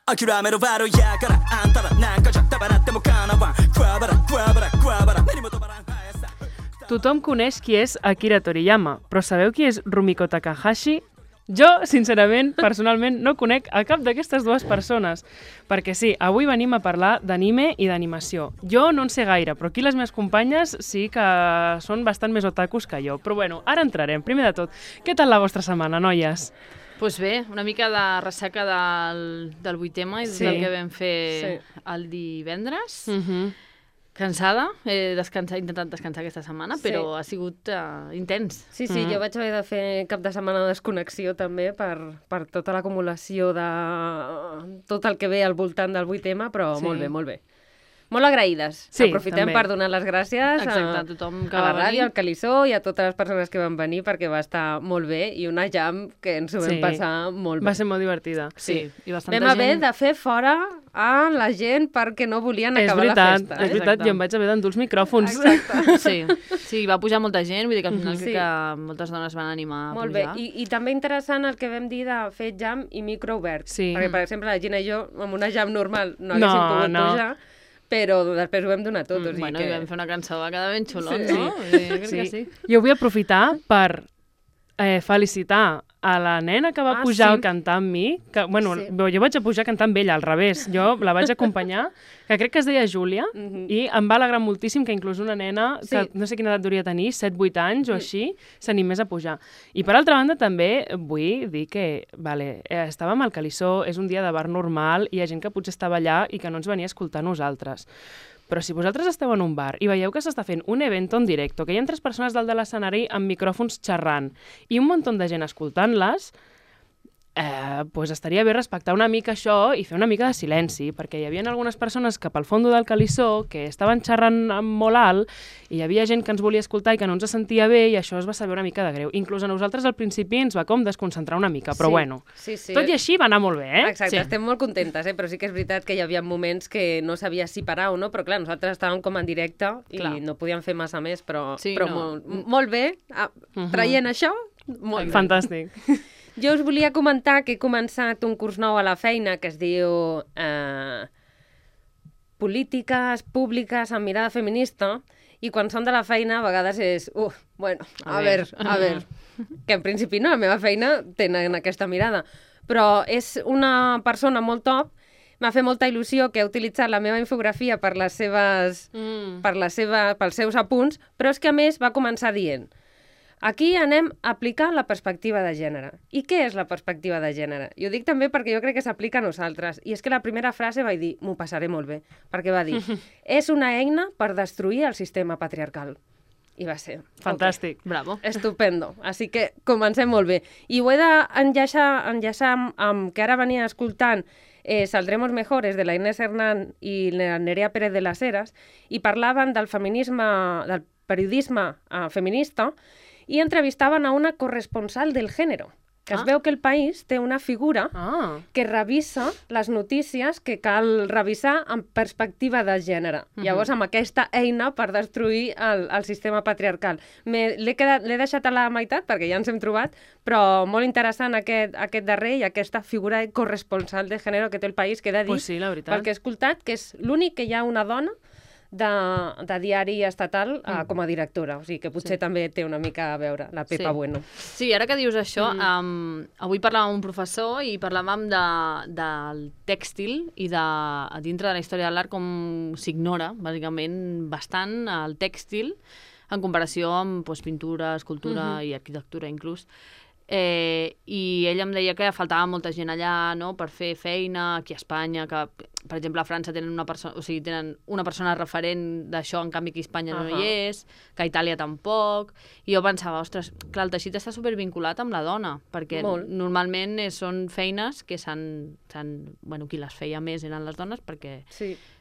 諦めろバロやからあんたらなんかじゃ束なってもかなわんクワバラクワバラクワバラ目にも止まらん速さ Tothom coneix qui és Akira Toriyama, però sabeu qui és Rumiko Takahashi? Jo, sincerament, personalment, no conec a cap d'aquestes dues persones. Perquè sí, avui venim a parlar d'anime i d'animació. Jo no en sé gaire, però aquí les meves companyes sí que són bastant més otakus que jo. Però bueno, ara entrarem. Primer de tot, què tal la vostra setmana, noies? Doncs bé, una mica de ressaca del 8M i del que vam fer el divendres. Cansada, he intentat descansar aquesta setmana, però ha sigut intens. Sí, jo vaig haver de fer cap de setmana de desconnexió també per tota l'acumulació de tot el que ve al voltant del 8M, però molt bé, molt bé. Molt agraïdes. Sí, aprofitem també. per donar les gràcies Exacte, a tothom que a la va ràdio, venir. al Calissó i a totes les persones que van venir perquè va estar molt bé i una jam que ens ho vam passar molt bé. Va ser molt divertida. Sí, i bastanta Vam haver gent... de fer fora a la gent perquè no volien És acabar veritat, la festa. és veritat, Exacte. jo em vaig haver d'endur els micròfons. Sí, va pujar molta gent, vull dir que al final crec que moltes dones van animar a Molt bé, pujar. I també interessant el que vam dir de fer jam i micro obert. Sí. Perquè, per exemple, la Gina i jo, amb una jam normal, no haguéssim pogut pujar, però després ho vam donar tot. O sigui Bueno, que... i vam fer una cançó, va quedar ben xulot, Sí. no? Crec que sí. Jo vull aprofitar per felicitar a la nena que va pujar a cantar amb mi, que, bueno, jo vaig a pujar a cantar amb ella, al revés, jo la vaig acompanyar, que crec que es deia Júlia, i em va alegrar moltíssim que inclús una nena, que no sé quina edat hauria de tenir, 7-8 anys o així, s'animés a pujar. I per altra banda també vull dir que, estàvem al Calissó, és un dia de bar normal, hi ha gent que potser estava allà i que no ens venia a escoltar nosaltres. Però si vosaltres esteu en un bar i veieu que s'està fent un evento en directe, que hi ha 3 persones dalt de l'escenari amb micròfons xerrant i un munt de gent escoltant-les, pues estaria bé respectar una mica això i fer una mica de silenci, perquè hi havia algunes persones que pel fons del Calissó que estaven xerrant molt alt i hi havia gent que ens volia escoltar i que no ens sentia bé i això es va saber una mica de greu. Inclús a nosaltres al principi ens va com desconcentrar una mica, però bueno, tot i així va anar molt bé, eh? Exacte, estem molt contentes, però sí que és veritat que hi havia moments que no sabia si parar o no, però clar, nosaltres estàvem com en directe i no podíem fer massa més, però molt bé, traient això, molt bé. Fantàstic. Jo us volia comentar que he començat un curs nou a la feina que es diu Polítiques Públiques amb mirada feminista i quan som de la feina a vegades és, a veure, que en principi no, la meva feina tenen aquesta mirada, però és una persona molt top, m'ha fet molta il·lusió que ha utilitzat la meva infografia pels seus apunts, però és que a més va començar dient: aquí anem a aplicar la perspectiva de gènere. I què és la perspectiva de gènere? I ho dic també perquè jo crec que s'aplica a nosaltres. I és que la primera frase vaig dir, m'ho passaré molt bé, perquè va dir, és una eina per destruir el sistema patriarcal. I va ser. Fantàstic. Bravo. Estupendo. Així que comencem molt bé. I ho he d'enllaçar amb que ara venia escoltant Saldremos Mejores, de la Inés Hernán i la Nerea Pérez de las Heras, i parlaven del feminisme, del periodisme feminista, i entrevistaven a una corresponsal del gènere, que es veu que el País té una figura que revisa les notícies que cal revisar amb perspectiva de gènere. Llavors, amb aquesta eina per destruir el sistema patriarcal. L'he deixat a la meitat, perquè ja ens hem trobat, però molt interessant aquest darrer i aquesta figura de corresponsal de gènere que té el País, que he de dir, pel que he escoltat, que és l'únic que hi ha una dona de diari estatal com a directora, o sigui que potser també té una mica a veure, la Pepa Bueno. Sí, ara que dius això, avui parlàvem amb un professor i parlàvem del tèxtil i dintre de la història de l'art com s'ignora, bàsicament, bastant el tèxtil en comparació amb pintura, escultura i arquitectura inclús. I ell em deia que faltava molta gent allà, no?, per fer feina aquí a Espanya, que per exemple a França tenen una persona referent d'això, en canvi aquí a Espanya no hi és, que a Itàlia tampoc, i jo pensava, ostres, clar, el teixit està supervinculat amb la dona, perquè normalment són feines que qui les feia més eren les dones perquè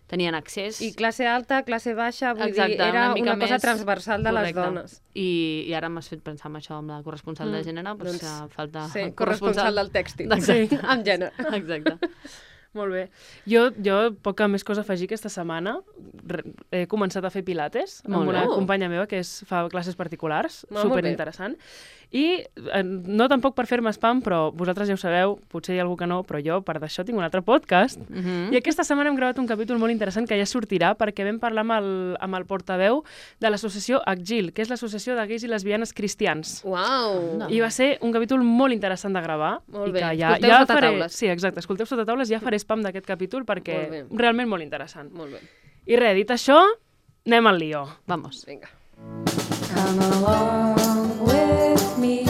tenien accés. I classe alta, classe baixa, vull dir, era una cosa transversal de les dones. I ara m'has fet pensar en això, amb la corresponsal de gènere, doncs falta... Sí, corresponsal del tèxtil, amb gènere. Exacte. Molt bé. Jo poca més cosa a afegir aquesta setmana. He començat a fer pilates amb una companya meva que fa classes particulars, superinteressant. I no tampoc per fer-me spam, però vosaltres ja ho sabeu, potser hi ha algú que no, però jo per d'això tinc un altre podcast. I aquesta setmana hem gravat un capítol molt interessant que ja sortirà perquè vam parlar amb el portaveu de l'associació ACGIL, que és l'associació de gais i lesbianes cristians. Uau! I va ser un capítol molt interessant de gravar. Molt I bé. que Escolteu Sotataules. Sí, exacte. Escolteu Sotataules, ja faré spam d'aquest capítol perquè realment molt interessant. Molt bé. I res, dit això, anem al lío. Vamos. Vinga. Come along with me,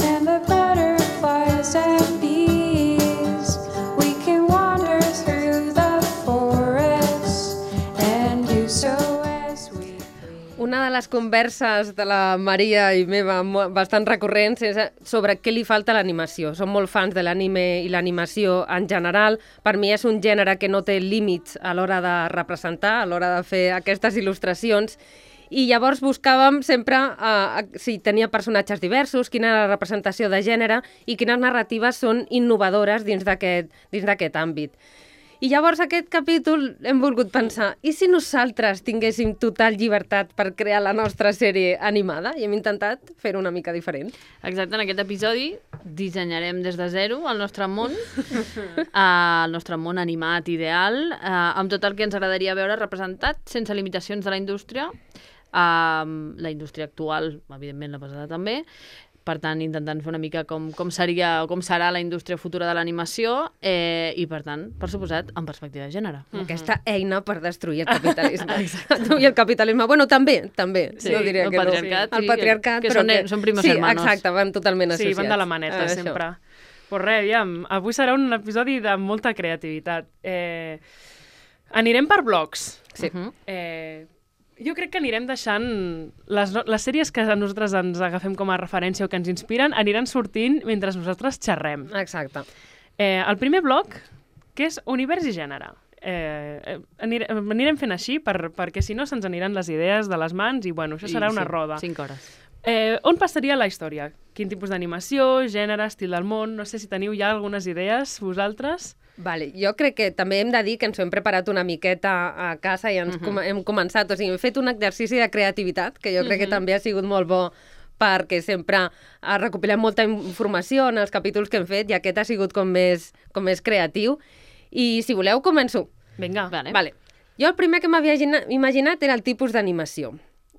and the butterflies and bees. We can wander through the forest, and do so as we please. Una de les converses de la Maria i meva bastant recurrents és sobre què li falta a l'animació. Som molt fans de l'anime i l'animació en general. Per mi és un gènere que no té límits a l'hora de representar, a l'hora de fer aquestes il·lustracions. I llavors buscàvem sempre si tenia personatges diversos, quina era la representació de gènere i quines narratives són innovadores dins d'aquest àmbit. I llavors aquest capítol hem volgut pensar, i si nosaltres tinguéssim total llibertat per crear la nostra sèrie animada? I hem intentat fer-ho una mica diferent. Exacte, en aquest episodi dissenyarem des de zero el nostre món, animat ideal, amb tot el que ens agradaria veure representat, sense limitacions de la indústria actual, evidentment la passada també, per tant, intentant fer una mica com seria o com serà la indústria futura de l'animació i, per tant, per suposat, en perspectiva de gènere. Aquesta eina per destruir el capitalisme. I el capitalisme, bueno, també. Sí, no diria el que patriarcat, no. El patriarcat, que però són primos hermanos. Sí, exacte, van totalment associats. Sí, van de la maneta, sempre. Pues res, aviam, avui serà un episodi de molta creativitat. Anirem per blocs. Sí. Jo crec que anirem deixant les sèries que nosaltres ens agafem com a referència o que ens inspiren, aniran sortint mentre nosaltres xerrem. Exacte. El primer bloc, que és univers i gènere. Anirem fent així perquè si no se'ns aniran les idees de les mans i bueno, això serà una roda. 5 hores. On passaria la història? Quin tipus d'animació, gènere, estil del món? No sé si teniu ja algunes idees, vosaltres. Vale, jo crec que també hem de dir que ens ho hem preparat una miqueta a casa i hem començat, o sigui, hem fet un exercici de creativitat, que jo crec que també ha sigut molt bo perquè sempre recopilem molta informació en els capítols que hem fet i aquest ha sigut com més creatiu. I si voleu, començo. Vinga. Vale. Jo el primer que m'havia imaginat era el tipus d'animació.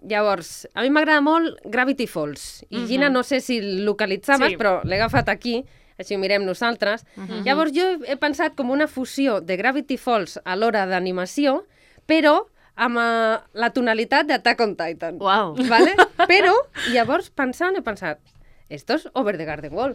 Llavors, a mi m'agrada molt Gravity Falls. I Gina, no sé si localitzaves, però l'he agafat aquí, així ho mirem nosaltres. Llavors jo he pensat com una fusió de Gravity Falls a l'hora d'animació, però amb la tonalitat d'Attack on Titan. Uau! Vale? Però, llavors, he pensat, esto es Over the Garden Wall.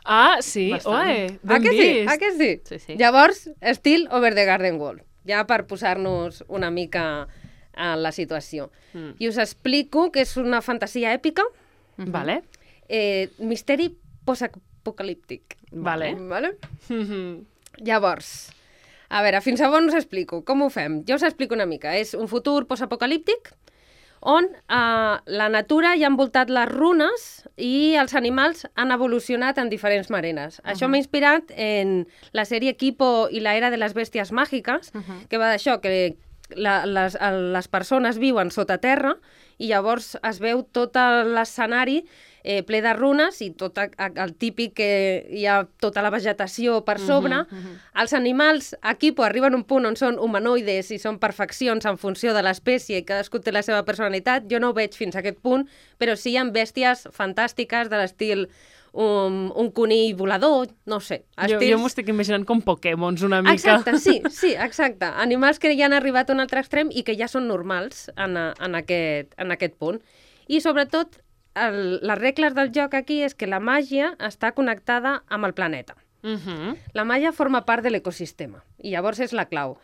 Ah, sí? Oe, ben vist. Ah, que sí? Sí. Llavors, estil Over the Garden Wall, ja per posar-nos una mica en la situació. I us explico que és una fantasia èpica, Vale. misteri postapocalíptic. Vale. Llavors, a veure, fins a on us explico? Com ho fem? Jo us explico una mica. És un futur postapocalíptic on la natura ja ha envoltat les runes i els animals han evolucionat en diferents maneres. Això m'ha inspirat en la sèrie Equipo i la era de les bèsties màgiques, que va d'això, que les persones viuen sota terra i llavors es veu tot l'escenari ple de runes i tot el típic que hi ha tota la vegetació per sobre. Els animals aquí arriben a un punt on són humanoides i són perfeccions en funció de l'espècie i cadascú té la seva personalitat. Jo no ho veig fins a aquest punt, però sí hi ha bèsties fantàstiques de l'estil un conill volador, no sé. Jo m'ho estic imaginant com Pokémons una mica. Exacte, sí, exacte. Animals que ja han arribat a un altre extrem i que ja són normals en aquest punt. I sobretot, les regles del joc aquí és que la màgia està connectada amb el planeta. La màgia forma part de l'ecosistema i llavors és la clau.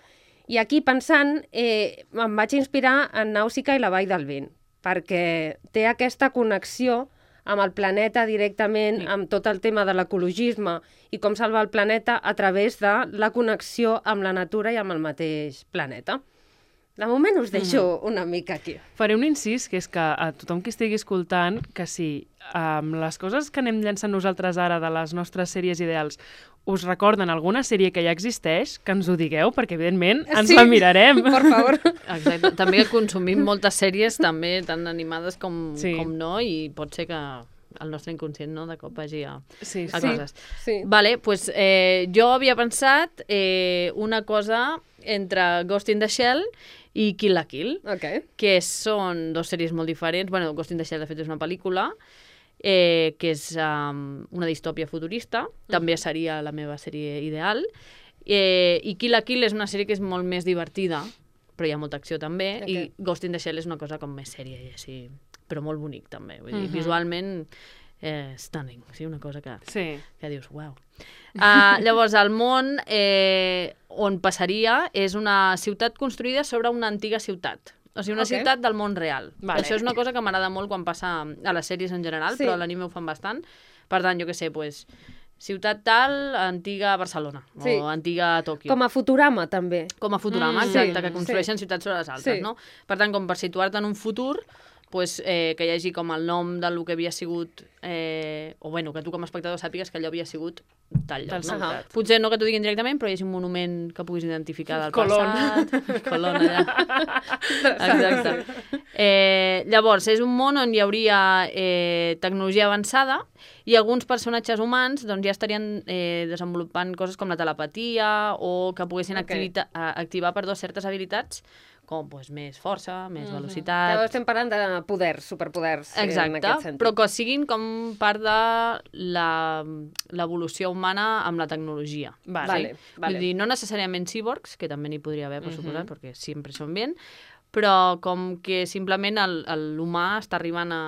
I aquí pensant, em vaig inspirar en Nàusica i la Vall del Vent, perquè té aquesta connexió amb el planeta directament, amb tot el tema de l'ecologisme i com salvar el planeta a través de la connexió amb la natura i amb el mateix planeta. De moment us deixo una mica aquí. Faré un incís, que és que a tothom que estigui escoltant, que si les coses que anem llançant nosaltres ara de les nostres sèries ideals us recorden alguna sèrie que ja existeix, que ens ho digueu, perquè evidentment ens la mirarem. Por favor. Exacte. També consumim moltes sèries, també tan animades com no, i pot ser que el nostre inconscient de cop vagi a coses. Sí. Vale, pues, jo havia pensat una cosa entre Ghost in the Shell i Kill la Kill, que són dos sèries molt diferents. Bueno, Ghost in the Shell, de fet, és una pel·lícula que és una distòpia futurista, també seria la meva sèrie ideal, i Kill la Kill és una sèrie que és molt més divertida, però hi ha molta acció també, i Ghost in the Shell és una cosa com més sèria, i així, però molt bonic també, vull dir, visualment stunning, sí, una cosa que dius, uau. Llavors, el món on passaria és una ciutat construïda sobre una antiga ciutat. O sigui, una ciutat del món real. Això és una cosa que m'agrada molt quan passa a les sèries en general, però a l'anime ho fan bastant. Per tant, jo què sé, ciutat tal, antiga Barcelona, o antiga Tòquio. Com a Futurama, també. Com a Futurama, exacte, que construeixen ciutats sobre les altres, no? Per tant, com per situar-te en un futur, que hi hagi com el nom del que havia sigut, o bueno, que tu com a espectador sàpigues que allò havia sigut tal lloc. Potser no que t'ho diguin directament, però hi hagi un monument que puguis identificar del passat. Colón, allà. Exacte. Llavors, és un món on hi hauria tecnologia avançada i alguns personatges humans ja estarien desenvolupant coses com la telepatia o que poguessin activar certes habilitats com més força, més velocitat... Ja estem parlant de poders, superpoders, en aquest sentit. Però que siguin com part de l'evolució humana amb la tecnologia. Vull dir, no necessàriament cyborgs, que també n'hi podria haver, per suposat, perquè sempre són bien, però com que simplement l'humà està arribant a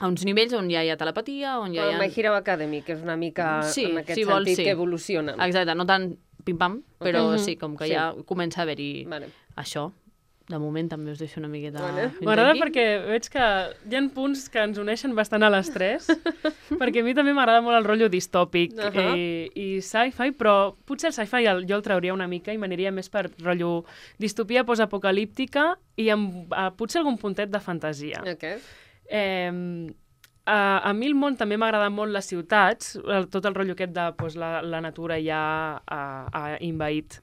uns nivells on ja hi ha telepatia, on ja hi ha... My Hero Academy, que és una mica en aquest sentit que evoluciona. Exacte, no tant pim-pam, però sí, com que ja comença a haver-hi això. De moment també us deixo una miqueta... M'agrada perquè veig que hi ha punts que ens uneixen bastant a les tres, perquè a mi també m'agrada molt el rotllo distòpic i sci-fi, però potser el sci-fi jo el trauria una mica i m'aniria més per rotllo distopia postapocalíptica i amb potser algun puntet de fantasia. A mi el món també m'agrada molt les ciutats, tot el rotllo aquest de la natura ja ha invaït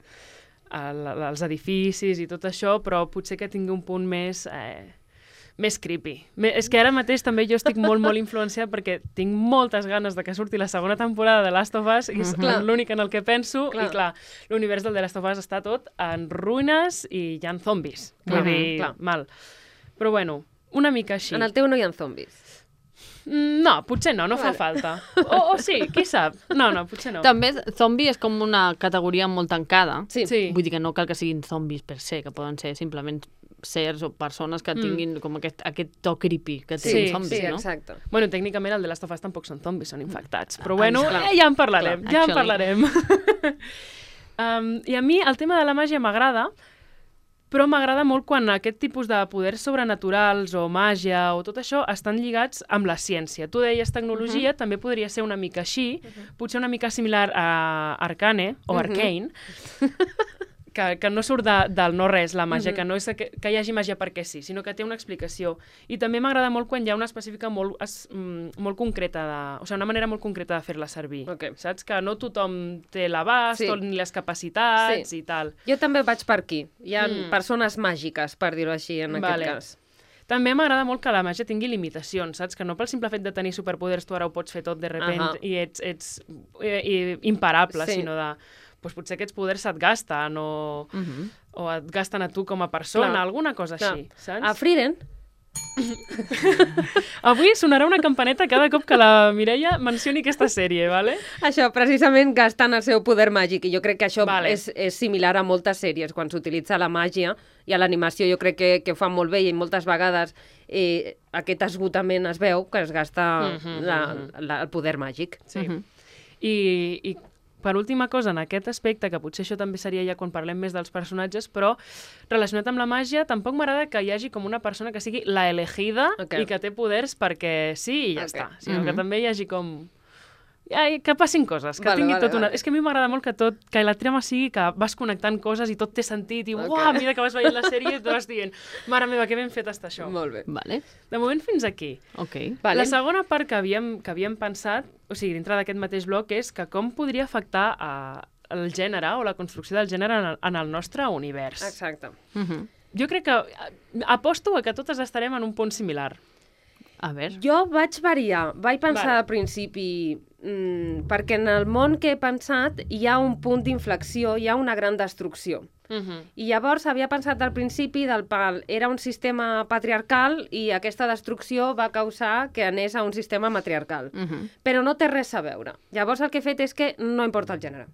els edificis i tot això, però potser que tingui un punt més creepy. És que ara mateix també jo estic molt, molt influenciada perquè tinc moltes ganes de que surti la segona temporada de Last of Us i és l'únic en el que penso i clar, l'univers del The Last of Us està tot en ruïnes i hi ha zombis. Vull dir, mal. Però bueno, una mica així. En el teu no hi ha zombis. No, potser no fa falta. O sí, qui sap? No, potser no. També zombi és com una categoria molt tancada. Sí. Vull dir que no cal que siguin zombis per se, que poden ser simplement sers o persones que tinguin com aquest to creepy que tenen zombis, no? Sí, exacte. Bueno, tècnicament el de Last of Us tampoc són zombis, són infectats. Però bueno, ja en parlarem, ja en parlarem. I a mi el tema de la màgia m'agrada, però m'agrada molt quan aquest tipus de poders sobrenaturals o màgia o tot això estan lligats amb la ciència. Tu deies tecnologia, també podria ser una mica així, potser una mica similar a Arcane o Arcane, que no surt del no-res, la màgia, que no és que hi hagi màgia perquè sí, sinó que té una explicació. I també m'agrada molt quan hi ha una específica molt concreta, o sigui, una manera molt concreta de fer-la servir. Saps? Que no tothom té l'abast ni les capacitats i tal. Jo també vaig per aquí. Hi ha persones màgiques, per dir-ho així, en aquest cas. També m'agrada molt que la màgia tingui limitacions, saps? Que no pel simple fet de tenir superpoders tu ara ho pots fer tot de repent i ets imparable, sinó de... potser aquests poders se't gasten o et gasten a tu com a persona, alguna cosa així, saps? A Frieren. Avui sonarà una campaneta cada cop que la Mireia mencioni aquesta sèrie, ¿vale? Això, precisament gastant el seu poder màgic, i jo crec que això és similar a moltes sèries, quan s'utilitza la màgia i a l'animació jo crec que ho fan molt bé i moltes vegades aquest esgotament es veu que es gasta el poder màgic. Sí. I per última cosa, en aquest aspecte, que potser això també seria ja quan parlem més dels personatges, però relacionat amb la màgia, tampoc m'agrada que hi hagi com una persona que sigui la elegida i que té poders perquè sí i ja està. Sinó que també hi hagi com que passin coses, que Vale, tingui vale, tot una... vale. És que a mi m'agrada molt que la trama sigui que vas connectant coses i tot té sentit i uah, a mesura que vas veient la sèrie tu vas dient, mare meva, que ben fet està això. Molt bé. Vale, De moment fins aquí. ok. Vale. La segona part que havíem pensat, o sigui, dintre d'aquest mateix bloc, és que com podria afectar el gènere o la construcció del gènere en el nostre univers. Exacte. Jo crec que aposto a que totes estarem en un punt similar. A veure. Jo vaig variar, vaig pensar Vale. al principi, perquè en el món que he pensat hi ha un punt d'inflexió, hi ha una gran destrucció. I llavors havia pensat al principi del pal, era un sistema patriarcal i aquesta destrucció va causar que anés a un sistema matriarcal. Però no té res a veure. Llavors el que he fet és que no importa el gènere.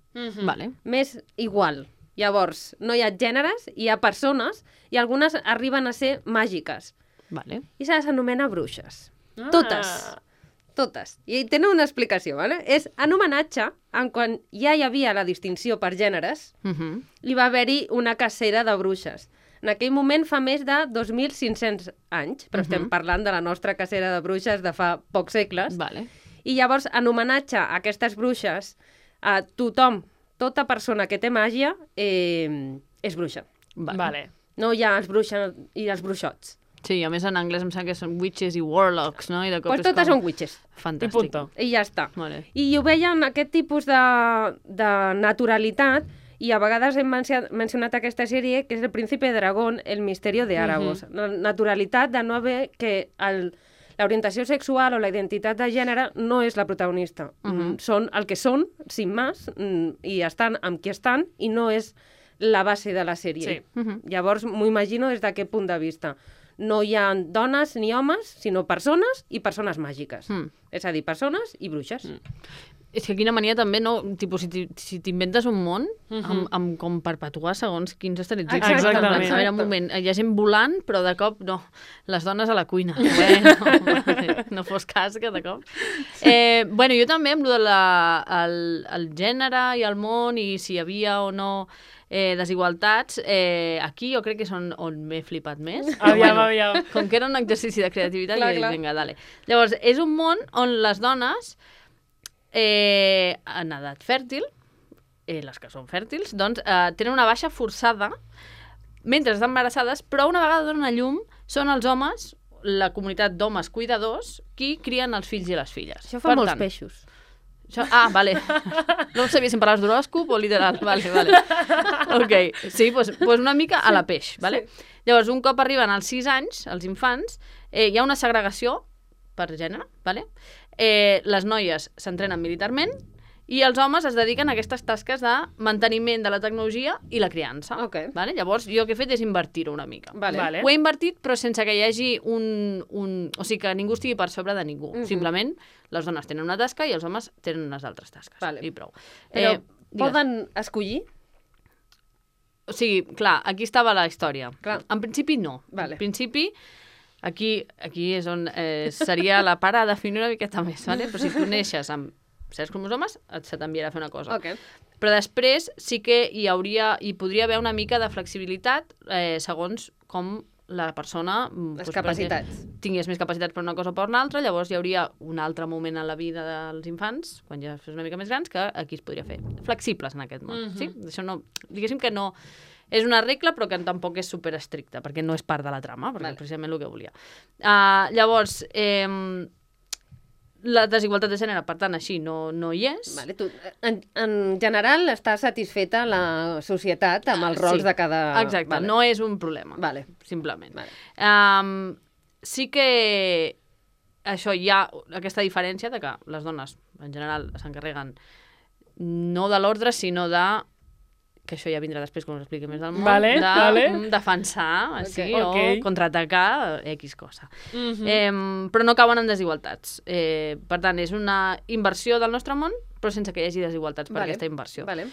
Vale. M'és igual. Llavors, no hi ha gèneres, hi ha persones i algunes arriben a ser màgiques. Vale. I se les anomena bruixes. Ah. Totes. Totes. I tenen una explicació, ¿vale? És en homenatge a quan ja hi havia la distinció per gèneres, hi va haver-hi una cacera de bruixes. En aquell moment fa més de 2.500 anys, però estem parlant de la nostra cacera de bruixes de fa pocs segles. Vale. I llavors, en homenatge a aquestes bruixes, a tothom, tota persona que té màgia, és bruixa. Vale. No hi ha els bruixes i els bruixots. Sí, a més en anglès em sembla que són witches i warlocks, no? I de cop Doncs és totes com... són witches. Fantàstic. I punto. I ja està. Vale. I ho veien aquest tipus de naturalitat i a vegades hem mencionat aquesta sèrie que és El príncipe dragón, el misterio de Aragos. La naturalitat de no haver que l'orientació sexual o la identitat de gènere no és la protagonista. Són el que són, sin más, i estan amb qui estan i no és la base de la sèrie. Sí. Llavors m'ho imagino des d'aquest punt de vista. No hi ha dones ni homes, sinó persones i persones màgiques. És a dir, persones i bruixes. És que quina mania també, no? Tipus, si t'inventes un món amb com perpetuar segons quins estereotips. Exactament. A veure, un moment, hi ha gent volant, però de cop no. Les dones a la cuina. Bueno, no fos cas que de cop. Bueno, jo també amb el gènere i el món i si hi havia o no desigualtats, aquí jo crec que són on m'he flipat més. Aviam. Com que era un exercici de creativitat, Clar, jo dic, clar. vinga, dale. Llavors, és un món on les dones en edat fèrtil, les que són fèrtils, doncs tenen una baixa forçada mentre estan embarassades, però una vegada donen a llum són els homes, la comunitat d'homes cuidadors, qui crien els fills i les filles. Això fa Per molts tant, peixos. vale. No sabia si em parlaves d'horòscop o literal. Vale. Ok, sí, doncs una mica a la peix, vale? Llavors, un cop arriben als 6 anys, els infants, hi ha una segregació per gènere, vale? Les noies s'entrenen militarment i els homes es dediquen a aquestes tasques de manteniment de la tecnologia i la criança. Ok. Vale? Llavors, jo el que he fet és invertir-ho una mica. Vale. Ho he invertit, però sense que hi hagi o sigui, que ningú estigui per sobre de ningú. Simplement, les dones tenen una tasca i els homes tenen unes altres tasques. Vale. I prou. Però digues. poden escollir? O sigui, clar, aquí estava la història. Clar. En principi, no. Vale. En principi, aquí és on seria la part a definir una miqueta més, vale? Però si tu neixes amb certs cromosomes, se t'enviarà a fer una cosa. Ok. Però després sí que hi podria haver una mica de flexibilitat segons com la persona Les capacitats. perquè tingués més capacitats per una cosa o per una altra, llavors hi hauria un altre moment en la vida dels infants, quan ja fos una mica més grans, que aquí es podria fer. Flexibles en aquest món, sí? Això no, diguéssim que no és una regla, però que tampoc és superestricta, perquè no és part de la trama, perquè és precisament el que volia. Llavors, la desigualtat de gènere, per tant, així no hi és. Vale, tu, en general està satisfeta la societat amb els rols de cada... Exacte, Vale. no és un problema, Vale. simplement. Vale. Sí que això hi ha aquesta diferència de que les dones, en general, s'encarreguen no de l'ordre, sinó de que això ja vindrà després quan us expliqui més del món, Vale, de vale. defensar, així, Ok. o contraatacar X cosa. Però no cauen en desigualtats. Per tant, és una inversió del nostre món, però sense que hi hagi desigualtats per Vale. aquesta inversió. Vale.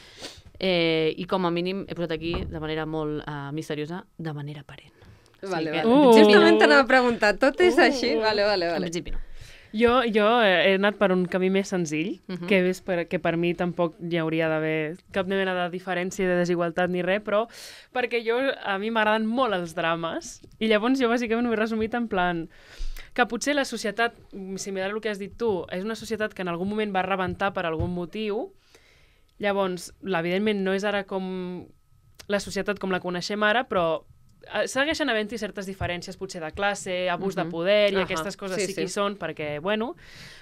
I com a mínim he posat aquí, de manera molt misteriosa, de manera aparent. Vale, que- vale. Justament t'anava a preguntar, tot és així? Vale. En principi no. Jo he anat per un camí més senzill, que per mi tampoc hi hauria d'haver cap mena de diferència, de desigualtat ni res, però perquè a mi m'agraden molt els drames, i llavors jo bàsicament ho he resumit en plan que potser la societat, similar al que has dit tu, és una societat que en algun moment va rebentar per algun motiu. Llavors, evidentment, no és ara com la societat com la coneixem ara, però segueixen havent-hi certes diferències, potser de classe, abús de poder, i aquestes coses sí que hi són, perquè, bueno...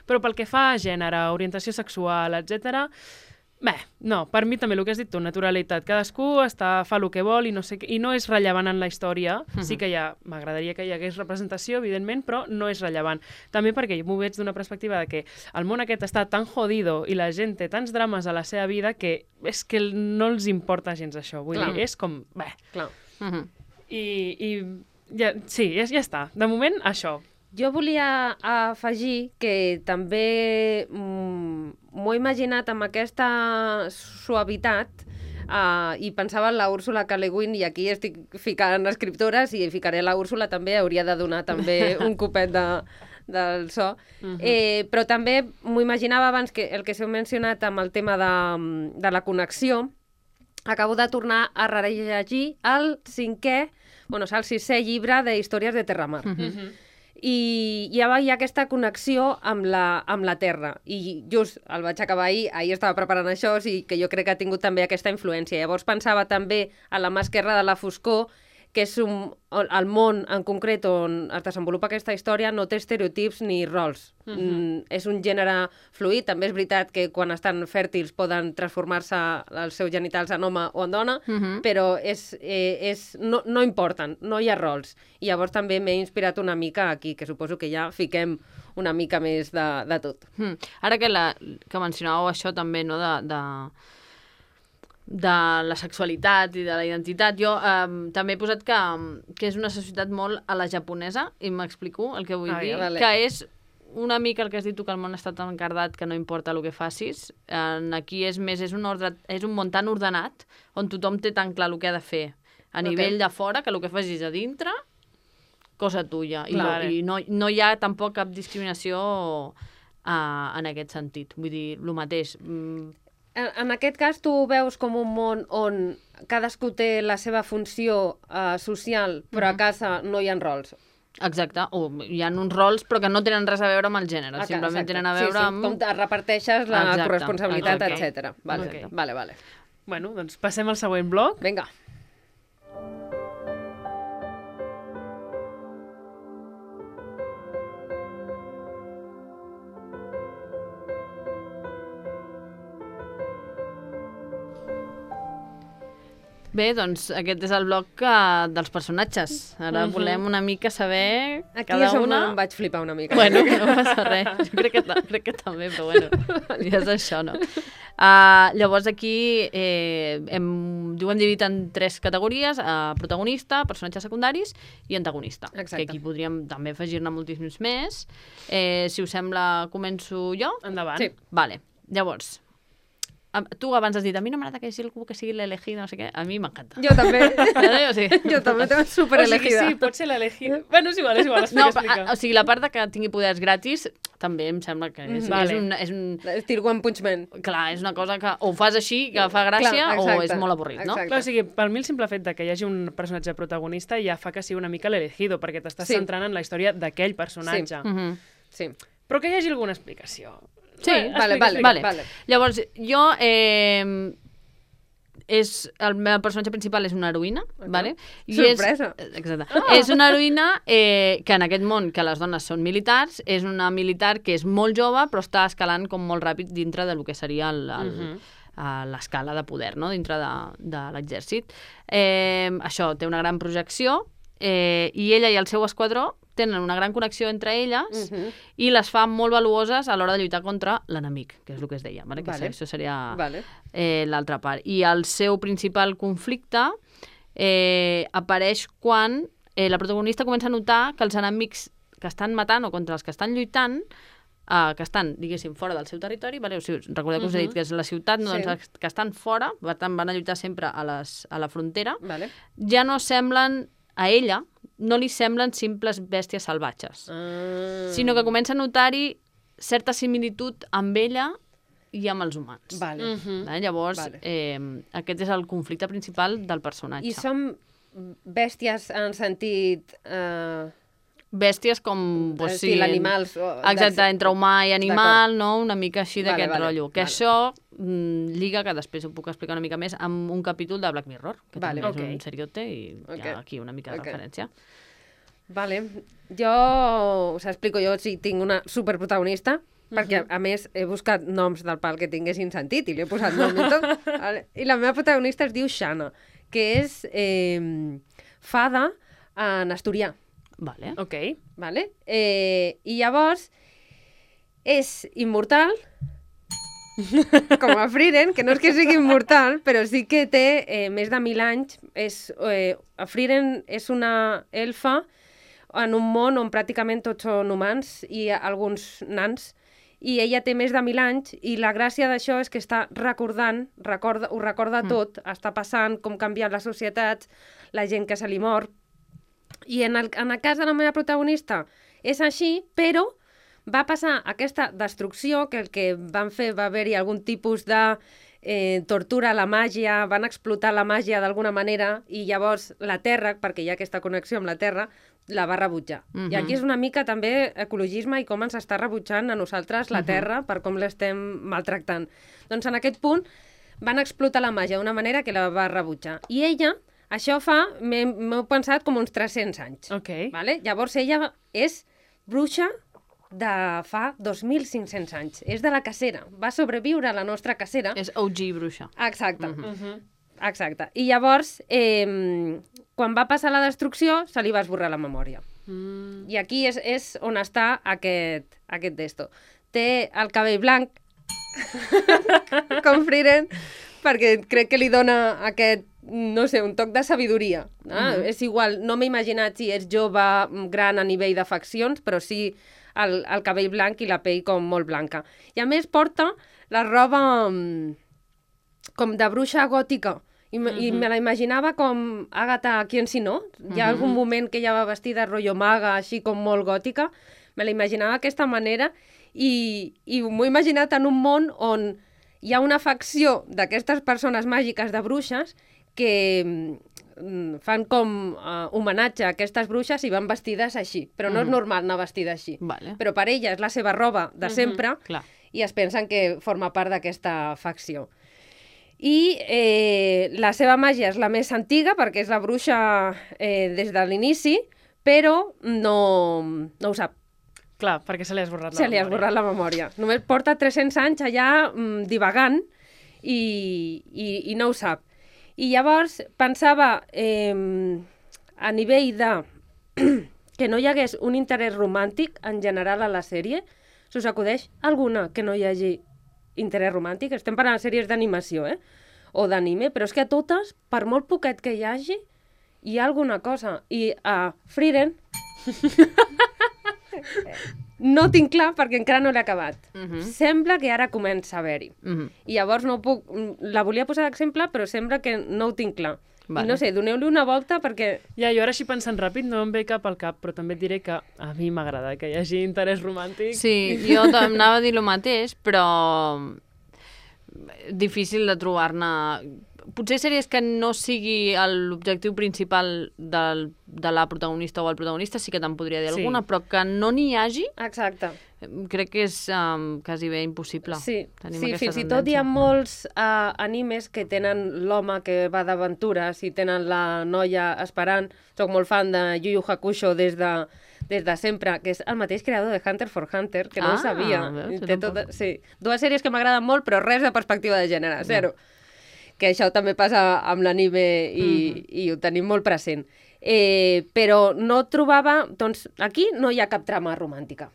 Però pel que fa a gènere, orientació sexual, etc. Bé, no, per mi també el que has dit tu, naturalitat. Cadascú fa el que vol i no és rellevant en la història. Sí que m'agradaria que hi hagués representació, evidentment, però no és rellevant. També perquè m'ho veig d'una perspectiva de que el món aquest està tan jodido i la gent té tants drames a la seva vida que és que no els importa gens això. Vull dir, és com... Bé. Clar. Sí, ja està. De moment, això. Jo volia afegir que també m'ho he imaginat amb aquesta suavitat i pensava en la Úrsula K. Le Guin, i aquí estic ficant escriptores i ficaré la Úrsula també, hauria de donar també un copet del so. Però també m'ho imaginava abans, que el que s'heu mencionat amb el tema de la connexió. Acabo de tornar a rellegir el 6è llibre d'Històries de Terramar. I ja hi ha aquesta connexió amb la Terra, i just el vaig acabar ahir estava preparant això, o sigui que jo crec que ha tingut també aquesta influència. Llavors pensava també a La mà esquerra de la foscor, que és el món en concret on es desenvolupa aquesta història, no té estereotips ni rols. És un gènere fluid. També és veritat que quan estan fèrtils poden transformar-se els seus genitals en home o en dona, però no importen, no hi ha rols. I llavors també m'he inspirat una mica aquí, que suposo que ja fiquem una mica més de tot. Ara que mencionàveu això també, no, de la sexualitat i de la identitat, jo també he posat que és una societat molt a la japonesa, i m'explico el que vull dir, que és una mica el que has dit tu, que el món està tan encardat que no importa el que facis. Aquí és més, és un món tan ordenat, on tothom té tan clar el que ha de fer a nivell de fora, que el que facis a dintre, cosa tuya. I no hi ha tampoc cap discriminació en aquest sentit. Vull dir, el mateix. En aquest cas, tu veus com un món on cadascú té la seva funció social, però a casa no hi ha rols. Exacte, o hi ha uns rols però que no tenen res a veure amb el gènere, simplement tenen a veure amb... Com reparteixes la corresponsabilitat, etc. Vale. Bueno, doncs passem al següent bloc. Vinga. Bé, doncs aquest és el bloc dels personatges. Ara volem una mica saber aquí cada una... Aquí em vaig flipar una mica. Bueno, no passa res. Jo crec que també, però bueno, ja és això, no? Llavors aquí ho hem dividit en 3 categories: protagonista, personatges secundaris i antagonista. Exacte. Que aquí podríem també afegir-ne moltíssims més. Si us sembla, començo jo? Endavant. Sí. Vale. Llavors, tu abans has dit, a mi no m'agrada que sigui algú que sigui l'elegida, no sé què. A mi m'encanta. Jo també. Jo també t'ho superelegida. Sí, pot ser l'elegida. Bueno, és igual, explica. O sigui, la part de que tingui poders gratis també em sembla que és un... Estil One Punch Man. Clar, és una cosa que o fas així, que fa gràcia, o és molt avorrit, no? Clar, o sigui, per mi el simple fet de que hi hagi un personatge protagonista ja fa que sigui una mica l'elegido, perquè t'estàs centrant en la història d'aquell personatge. Sí. Però que hi hagi alguna explicació. Sí, vale. Llavors, jo... el meu personatge principal és una heroïna, vale? Sorpresa! Exacte. És una heroïna que en aquest món, que les dones són militars, és una militar que és molt jove, però està escalant com molt ràpid dintre del que seria l'escala de poder, no? Dintre de l'exèrcit. Això, té una gran projecció, i ella i el seu esquadró tenen una gran connexió entre elles i les fa molt valuoses a l'hora de lluitar contra l'enemic, que és el que es deia, vale? Que això seria l'altra part. I el seu principal conflicte apareix quan la protagonista comença a notar que els enemics que estan matant o contra els que estan lluitant, que estan, diguéssim, fora del seu territori, vale? O sigui, recordeu que us he dit que és la ciutat, no? Doncs que estan fora, per tant van a lluitar sempre a la frontera, ja no semblen a ella, no li semblen simples bèsties salvatges, sinó que comença a notar-hi certa similitud amb ella i amb els humans. Llavors, aquest és el conflicte principal del personatge. I són bèsties en sentit bèsties com... Pues, Estil animals. Exacte, entre humà i animal, D'acord. no? Una mica així d'aquest rotllo. Que vale. això lliga, que després ho puc explicar una mica més, amb un capítol de Black Mirror, que Vale. també és Ok. un seriote i hi ha aquí una mica de Ok. referència. Vale. Jo, us explico, jo sí tinc una superprotagonista, perquè a més he buscat noms del pal que tinguessin sentit i li he posat nom i tot. Vale. I la meva protagonista es diu Shanna, que és fada en asturià. Vale. Ok. Vale? I llavors és immortal, com a Frieren, que no és que sigui immortal, però sí que té més de 1.000 anys. Frieren és una elfa en un món on pràcticament tots són humans i alguns nans, i ella té més de 1.000 anys, i la gràcia d'això és que està recordant, ho recorda tot, està passant com canvien les societats, la gent que se li mor. I en el cas de la meva protagonista és així, però va passar aquesta destrucció, que el que van fer va haver-hi algun tipus de tortura a la màgia, van explotar la màgia d'alguna manera, i llavors la Terra, perquè hi ha aquesta connexió amb la Terra, la va rebutjar. I aquí és una mica també ecologisme i com ens està rebutjant a nosaltres la Terra per com l'estem maltractant. Doncs en aquest punt van explotar la màgia d'una manera que la va rebutjar. I ella, això fa, m'ho pensat com uns 300 anys. Ok. Vale? Llavors ella és bruixa de fa 2.500 anys. És de la cacera. Va sobreviure a la nostra cacera. És OG bruixa. Exacte. Exacte. I llavors, quan va passar la destrucció, se li va esborrar la memòria. I aquí és on està aquest d'esto. Té el cabell blanc, com Frieren, perquè crec que li dona aquest, no sé, un toc de sabidoria. És igual, no m'he imaginat si és jove, gran a nivell de faccions, però sí el cabell blanc i la pell com molt blanca. I a més porta la roba com de bruixa gòtica. I me la imaginava com Agatha Christie, no? Hi ha algun moment que ella va vestida rotllo maga, així com molt gòtica. Me la imaginava d'aquesta manera i m'ho he imaginat en un món on hi ha una facció d'aquestes persones màgiques de bruixes que fan com homenatge a aquestes bruixes i van vestides així. Però no és normal anar vestida així. Vale. Però per ella és la seva roba de sempre Clar. i es pensen que forma part d'aquesta facció. I la seva màgia és la més antiga perquè és la bruixa des de l'inici, però no ho sap. Clar, perquè se li ha esborrat la Se li ha memòria. esborrat la memòria. Només porta 300 anys allà divagant i no ho sap. I llavors pensava a nivell de que no hi hagués un interès romàntic en general a la sèrie. Si us acudeix alguna que no hi hagi interès romàntic? Estem parlant de sèries d'animació, o d'anime, però és que a totes, per molt poquet que hi hagi, hi ha alguna cosa. I a Frieren no tinc clar perquè encara no l'he acabat. Sembla que ara comença a haver-hi. I llavors no puc... La volia posar d'exemple, però sembla que no ho tinc clar. Vale. I no sé, doneu-li una volta perquè... Ja, jo ara així pensant ràpid no em ve cap al cap, però també et diré que a mi m'agrada que hi hagi interès romàntic. Sí, jo anava a dir el mateix, però difícil de trobar-ne... Potser sèries que no sigui l'objectiu principal de la protagonista o el protagonista, sí que te'n podria dir alguna, però que no n'hi hagi, Exacte. crec que és quasi bé impossible. Sí, Tenim sí, aquesta fins i tot hi ha tendència. molts animes que tenen l'home que va d'aventures i tenen la noia esperant. Soc molt fan de Yu Yu Hakusho des de sempre, que és el mateix creador de Hunter x Hunter, que no ho sabia. Veus? Té sí. Dues sèries que m'agraden molt, però res de perspectiva de gènere, zero. Que això també passa amb l'anime i ho tenim molt present. Però no trobava... Doncs aquí no hi ha cap trama romàntica.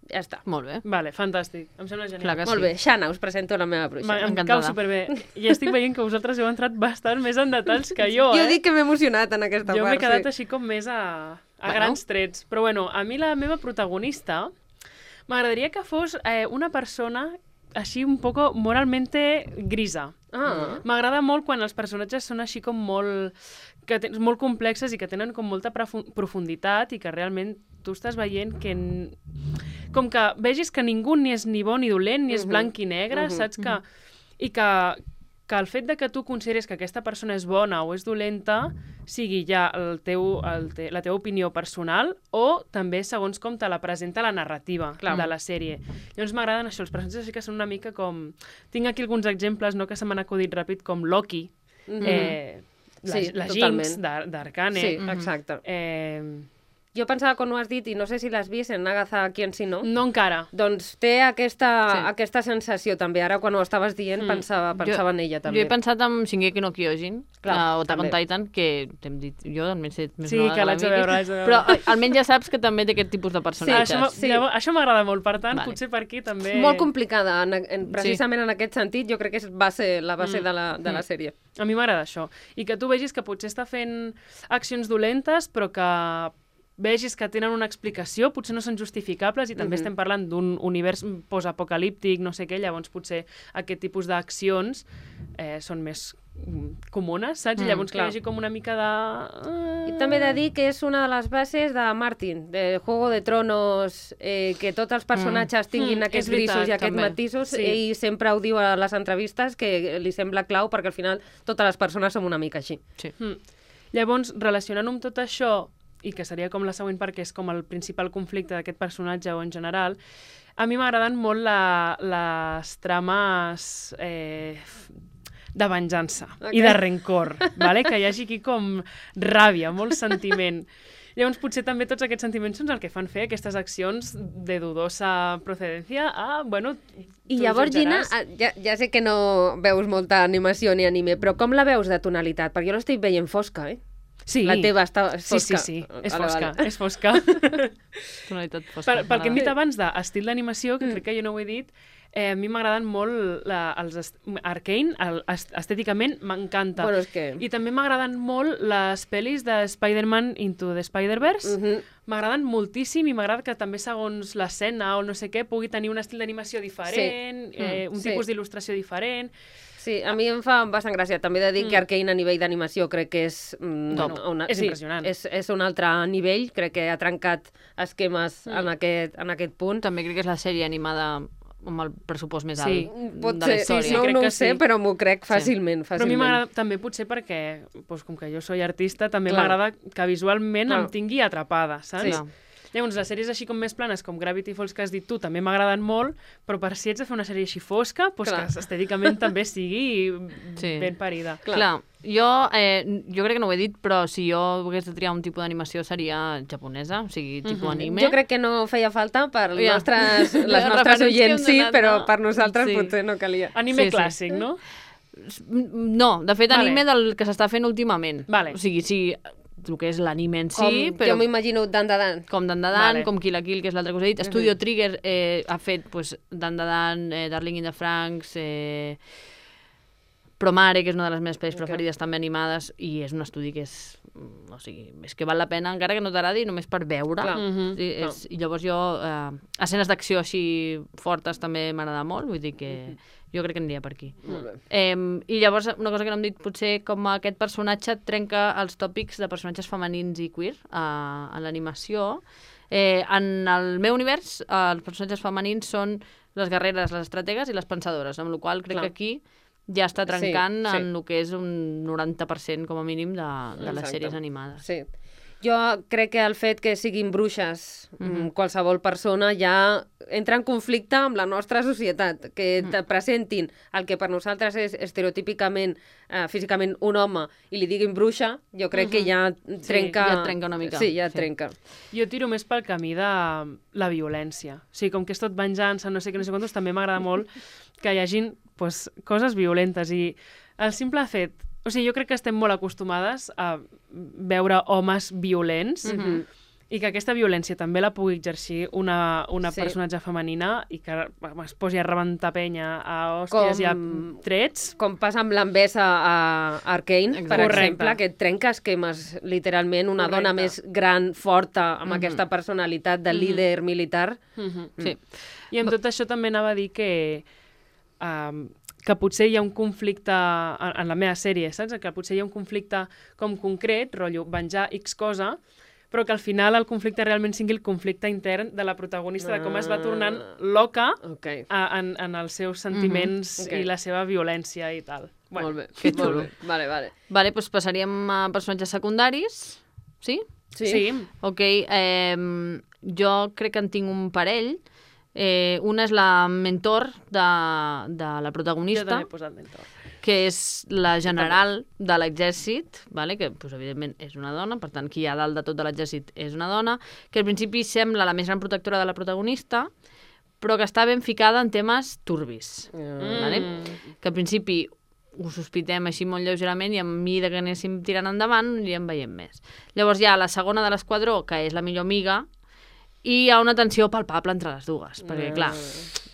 Ja està. Molt bé. Vale, fantàstic. Em sembla genial. Clar que Molt sí. bé, Shanna, us presento la meva bruixa. Em Encantada. cau superbé. I estic veient que vosaltres heu entrat bastant més en detalls que jo, Jo dic que m'he emocionat en aquesta Jo part. m'he quedat sí. així com més a Bueno. grans trets. Però bueno, a mi la meva protagonista m'agradaria que fos una persona així un poco moralmente grisa. M'agrada molt quan els personatges són així com molt molt complexes i que tenen com molta profunditat i que realment tu estàs veient que com que vegis que ningú ni és ni bo ni dolent, ni és blanc i negre, saps que... I que que el fet de que tu consideris que aquesta persona és bona o és dolenta sigui ja la teva opinió personal o també segons com te la presenta la narrativa de la sèrie. Llavors m'agraden això, els personatges sí que són una mica com... Tinc aquí alguns exemples, no, que se m'han acudit ràpid, com Loki, la Jinx d'Arcane. Sí, exacte. Jo pensava, quan ho has dit, i no sé si l'has vist, en Agatha Quien si no. No encara. Doncs té aquesta sensació també. Ara, quan ho estaves dient, pensava en ella també. Jo he pensat en Shingeki no Kyojin, o Attack on Titan, que t'hem dit, jo almenys sé més sí, que l'haig de veure. Però almenys ja saps que també té aquest tipus de personatges. Això m'agrada molt, per tant, potser per aquí també... Molt complicada, precisament en aquest sentit, jo crec que va ser la base de la sèrie. A mi m'agrada això. I que tu vegis que potser està fent accions dolentes, però que vegis que tenen una explicació, potser no són justificables i també estem parlant d'un univers postapocalíptic, no sé què, llavors potser aquest tipus d'accions són més comunes, saps? I llavors que hi hagi com una mica de... I també he de dir que és una de les bases de Martin, de Juego de Tronos, que tots els personatges tinguin aquests grisos i aquests matisos, ell sempre ho diu a les entrevistes, que li sembla clau perquè al final totes les persones som una mica així. Llavors, relacionant-ho amb tot això, i que seria com la següent part, que és com el principal conflicte d'aquest personatge o en general, a mi m'agraden molt les trames de venjança i de rencor, vale? Que hi hagi aquí com ràbia, molt sentiment. Llavors, potser també tots aquests sentiments són el que fan fer aquestes accions de dudosa procedència bueno, I llavors, Gina, ja sé que no veus molta animació ni anime, però com la veus de tonalitat? Perquè jo l'estic veient fosca, Sí. La teva és fosca. Sí. És fosca, és fosca. Tonalitat fosca. Pel que hem dit abans d'estil d'animació, que crec que jo no ho he dit, a mi m'agraden molt els Arcane, estèticament m'encanta. Bueno, és que... I també m'agraden molt les pel·lis de Spider-Man Into the Spider-Verse. M'agraden moltíssim i m'agrada que també segons l'escena o no sé què pugui tenir un estil d'animació diferent, un tipus d'il·lustració diferent. Sí, a mi em fa bastant gràcia. També he de dir que Arcane a nivell d'animació crec que és... és impressionant. És un altre nivell, crec que ha trencat esquemes en aquest punt. També crec que és la sèrie animada amb el pressupost més alt pot de la història. Sí, no ho sé, però m'ho crec fàcilment. Però a mi m'agrada també potser perquè, com que jo soy artista, també m'agrada que visualment em tingui atrapada, saps? Sí. Llavors, les sèries així com més planes, com Gravity Falls, que has dit tu, també m'agraden molt, però per si ets de fer una sèrie així fosca, que estèticament també sigui ben parida. Clar. Jo crec que no ho he dit, però si jo hagués de triar un tipus d'animació seria japonesa, o sigui, tipus anime. Jo crec que no feia falta per les nostres oients, sí, però per nosaltres potser no calia. Anime clàssic, no? No, de fet, anime del que s'està fent últimament. O sigui, sí, el que és l'anime en si, però... Jo m'imagino Dandadan. Com Dandadan, com Kill la Kill, que és l'altra cosa que he dit. Studio Trigger ha fet Dandadan, Darling in the Franxx, Promare, que és una de les meves pel·lis preferides, també animades, i és un estudi que és... O sigui, és que val la pena, encara que no t'agradi, només per veure. I llavors jo... escenes d'acció així fortes també m'agrada molt, vull dir que... Jo crec que aniria per aquí. I llavors, una cosa que no hem dit, potser com aquest personatge trenca els tòpics de personatges femenins i queer a l'animació. En el meu univers, els personatges femenins són les guerreres, les estrategues i les pensadores, amb la qual cosa crec que aquí ja està trencant en el que és un 90% com a mínim de les sèries animades. Sí. Jo crec que el fet que siguin bruixes, qualsevol persona, ja entra en conflicte amb la nostra societat, que te presentin el que per nosaltres és estereotípicament, físicament, un home, i li diguin bruixa, jo crec que ja trenca... Ja trenca una mica. Sí, ja trenca. Jo tiro més pel camí de la violència. O sigui, com que és tot venjança, no sé què, no sé quantos, també m'agrada molt que hi hagin coses violentes, i el simple fet... O sigui, jo crec que estem molt acostumades a veure homes violents i que aquesta violència també la pugui exercir una personatge femenina i que es posi a rebentar penya a hòsties i a trets. Com passa amb l'envesa a Arcane, per exemple, que trenca esquemes, literalment, una dona més gran, forta, amb aquesta personalitat de líder militar. Sí. I amb tot això també anava a dir que potser hi ha un conflicte en la meva sèrie, saps? Que potser hi ha un conflicte com concret, rotllo, venjar X cosa, però que al final el conflicte realment sigui el conflicte intern de la protagonista, de com es va tornant loca en els seus sentiments i la seva violència i tal. Bueno, molt bé. que molt xulo. bé. Vale. Vale, doncs passaríem a personatges secundaris. Sí? Sí. Ok, jo crec que en tinc un parell. Una és la mentor de la Jo protagonista, també he posat mentor. que és la general de l'exèrcit, vale? Que pues, evidentment és una dona, per tant, qui hi ha dalt de tot de l'exèrcit és una dona, que al principi sembla la més gran protectora de la protagonista, però que està ben ficada en temes turbis. Vale? Que al principi ho sospitem així molt lleugerament i a mesura que anéssim tirant endavant anirem veient més. Llavors hi ha la segona de l'esquadró, que és la millor amiga, i hi ha una tensió palpable entre les dues, perquè, clar,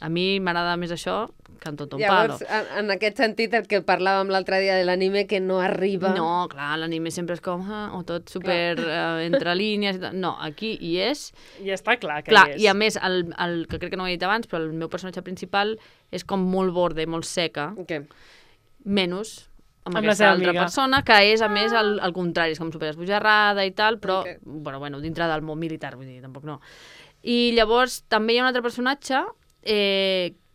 a mi m'agrada més això que en tot un palo. Llavors, en aquest sentit, el que parlàvem l'altre dia de l'anime, que no arriba... No, clar, l'anime sempre és com, o tot super entre línies i tal. No, aquí hi és. I està clar que Clar, hi és. i a més, el que crec que no ho he dit abans, però el meu personatge principal és com molt borde, molt seca, Què? menys amb la aquesta seva altra amiga. persona, que és, a més, al contrari, és com superesbojarrada i tal, però, Ok. bueno, dintre del món militar, vull dir, tampoc no. I llavors també hi ha un altre personatge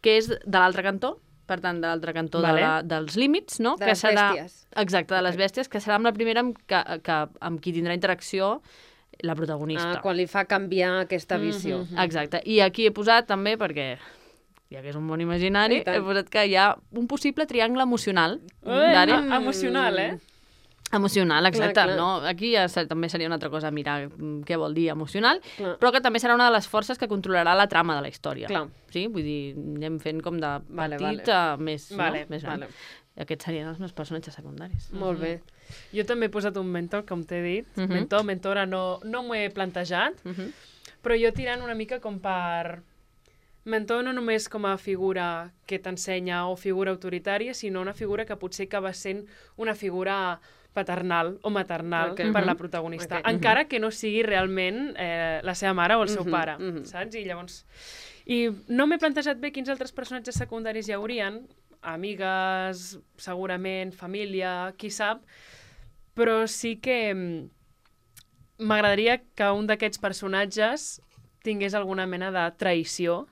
que és de l'altre cantó, per tant, de l'altre cantó Vale. dels límits, no? De que les serà, bèsties. Exacte, de les bèsties, que serà amb la primera amb qui tindrà interacció la protagonista. Quan li fa canviar aquesta visió. Exacte. I aquí he posat també, perquè ja que és un món imaginari, I tant. he posat que hi ha un possible triangle emocional. Emocional, eh? Emocional, exacte. clar. No? Aquí ja també seria una altra cosa mirar què vol dir emocional, Clar. però que també serà una de les forces que controlarà la trama de la història. Clar. Sí? Vull dir, anem fent com de Vale, petit vale. a més, Vale, no? Més gran. vale. Aquests serien els meus personatges secundaris. Molt bé. Jo també he posat un mentor, com t'he dit. Mentora, no m'ho he plantejat, però jo tirant una mica com per... Mentor no només com a figura que t'ensenya o figura autoritària, sinó una figura que potser acaba sent una figura paternal o maternal Ok. per la protagonista, Ok. encara que no sigui realment la seva mare o el seu pare, mhm. saps? I llavors... I no m'he plantejat bé quins altres personatges secundaris hi haurien, amigues, segurament, família, qui sap, però sí que m'agradaria que un d'aquests personatges tingués alguna mena de traïció,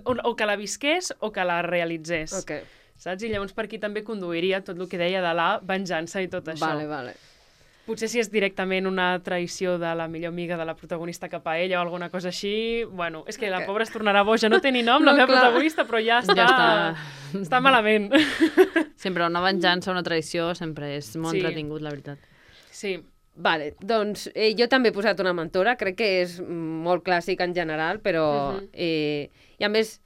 o que la visqués o que la realitzés. Ok. Saps? I llavors per aquí també conduiria tot el que deia de la venjança i tot això. Vale. Potser si és directament una traïció de la millor amiga de la protagonista cap a ella o alguna cosa així, bueno, és que la pobra es tornarà boja, no té ni nom la No, meva clar. protagonista, però ja està malament. Sempre una venjança, una traïció, sempre és molt Sí. entretingut, la veritat. Sí, Vale, doncs jo també he posat una mentora, crec que és molt clàssic en general, però... I a més,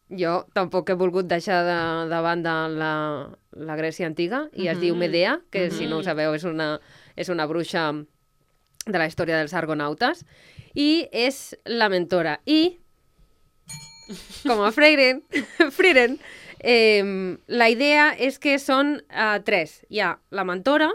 jo tampoc he volgut deixar de banda la Grècia antiga, i es diu Medea, que si no ho sabeu és una bruixa de la història dels argonautes, i és la mentora. I, com a Frieren, la idea és que són tres. Hi ha la mentora,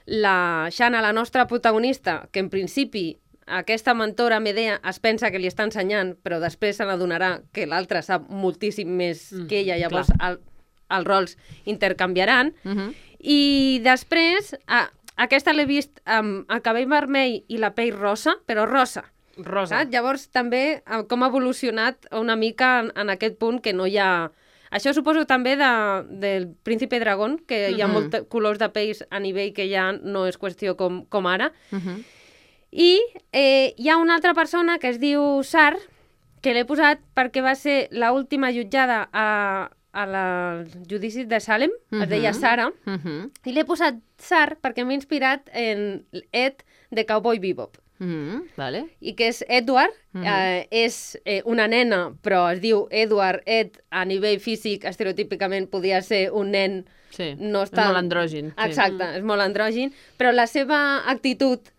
la Shanna, la nostra protagonista, que en principi aquesta mentora Medea es pensa que li està ensenyant, però després se n'adonarà que l'altra sap moltíssim més que ella, llavors els rols intercanviaran. I després, aquesta l'he vist amb el cabell vermell i la pell rosa, però rosa. rosa. Saps? Llavors també com ha evolucionat una mica en aquest punt que no hi ha... Això suposo també del Príncipe Dragón, que hi ha molts colors de pells a nivell que ja no és qüestió com ara. I hi ha una altra persona que es diu Sar, que l'he posat perquè va ser l'última jutjada al judici de Salem, es deia Sara, i l'he posat Sar perquè m'he inspirat en Ed de Cowboy Bebop. Vale. I que és Edward, és una nena, però es diu Edward. Ed, a nivell físic, estereotípicament podria ser un nen... Sí, no és molt andrògin. Sí. Exacte, és molt andrògin, però la seva actitud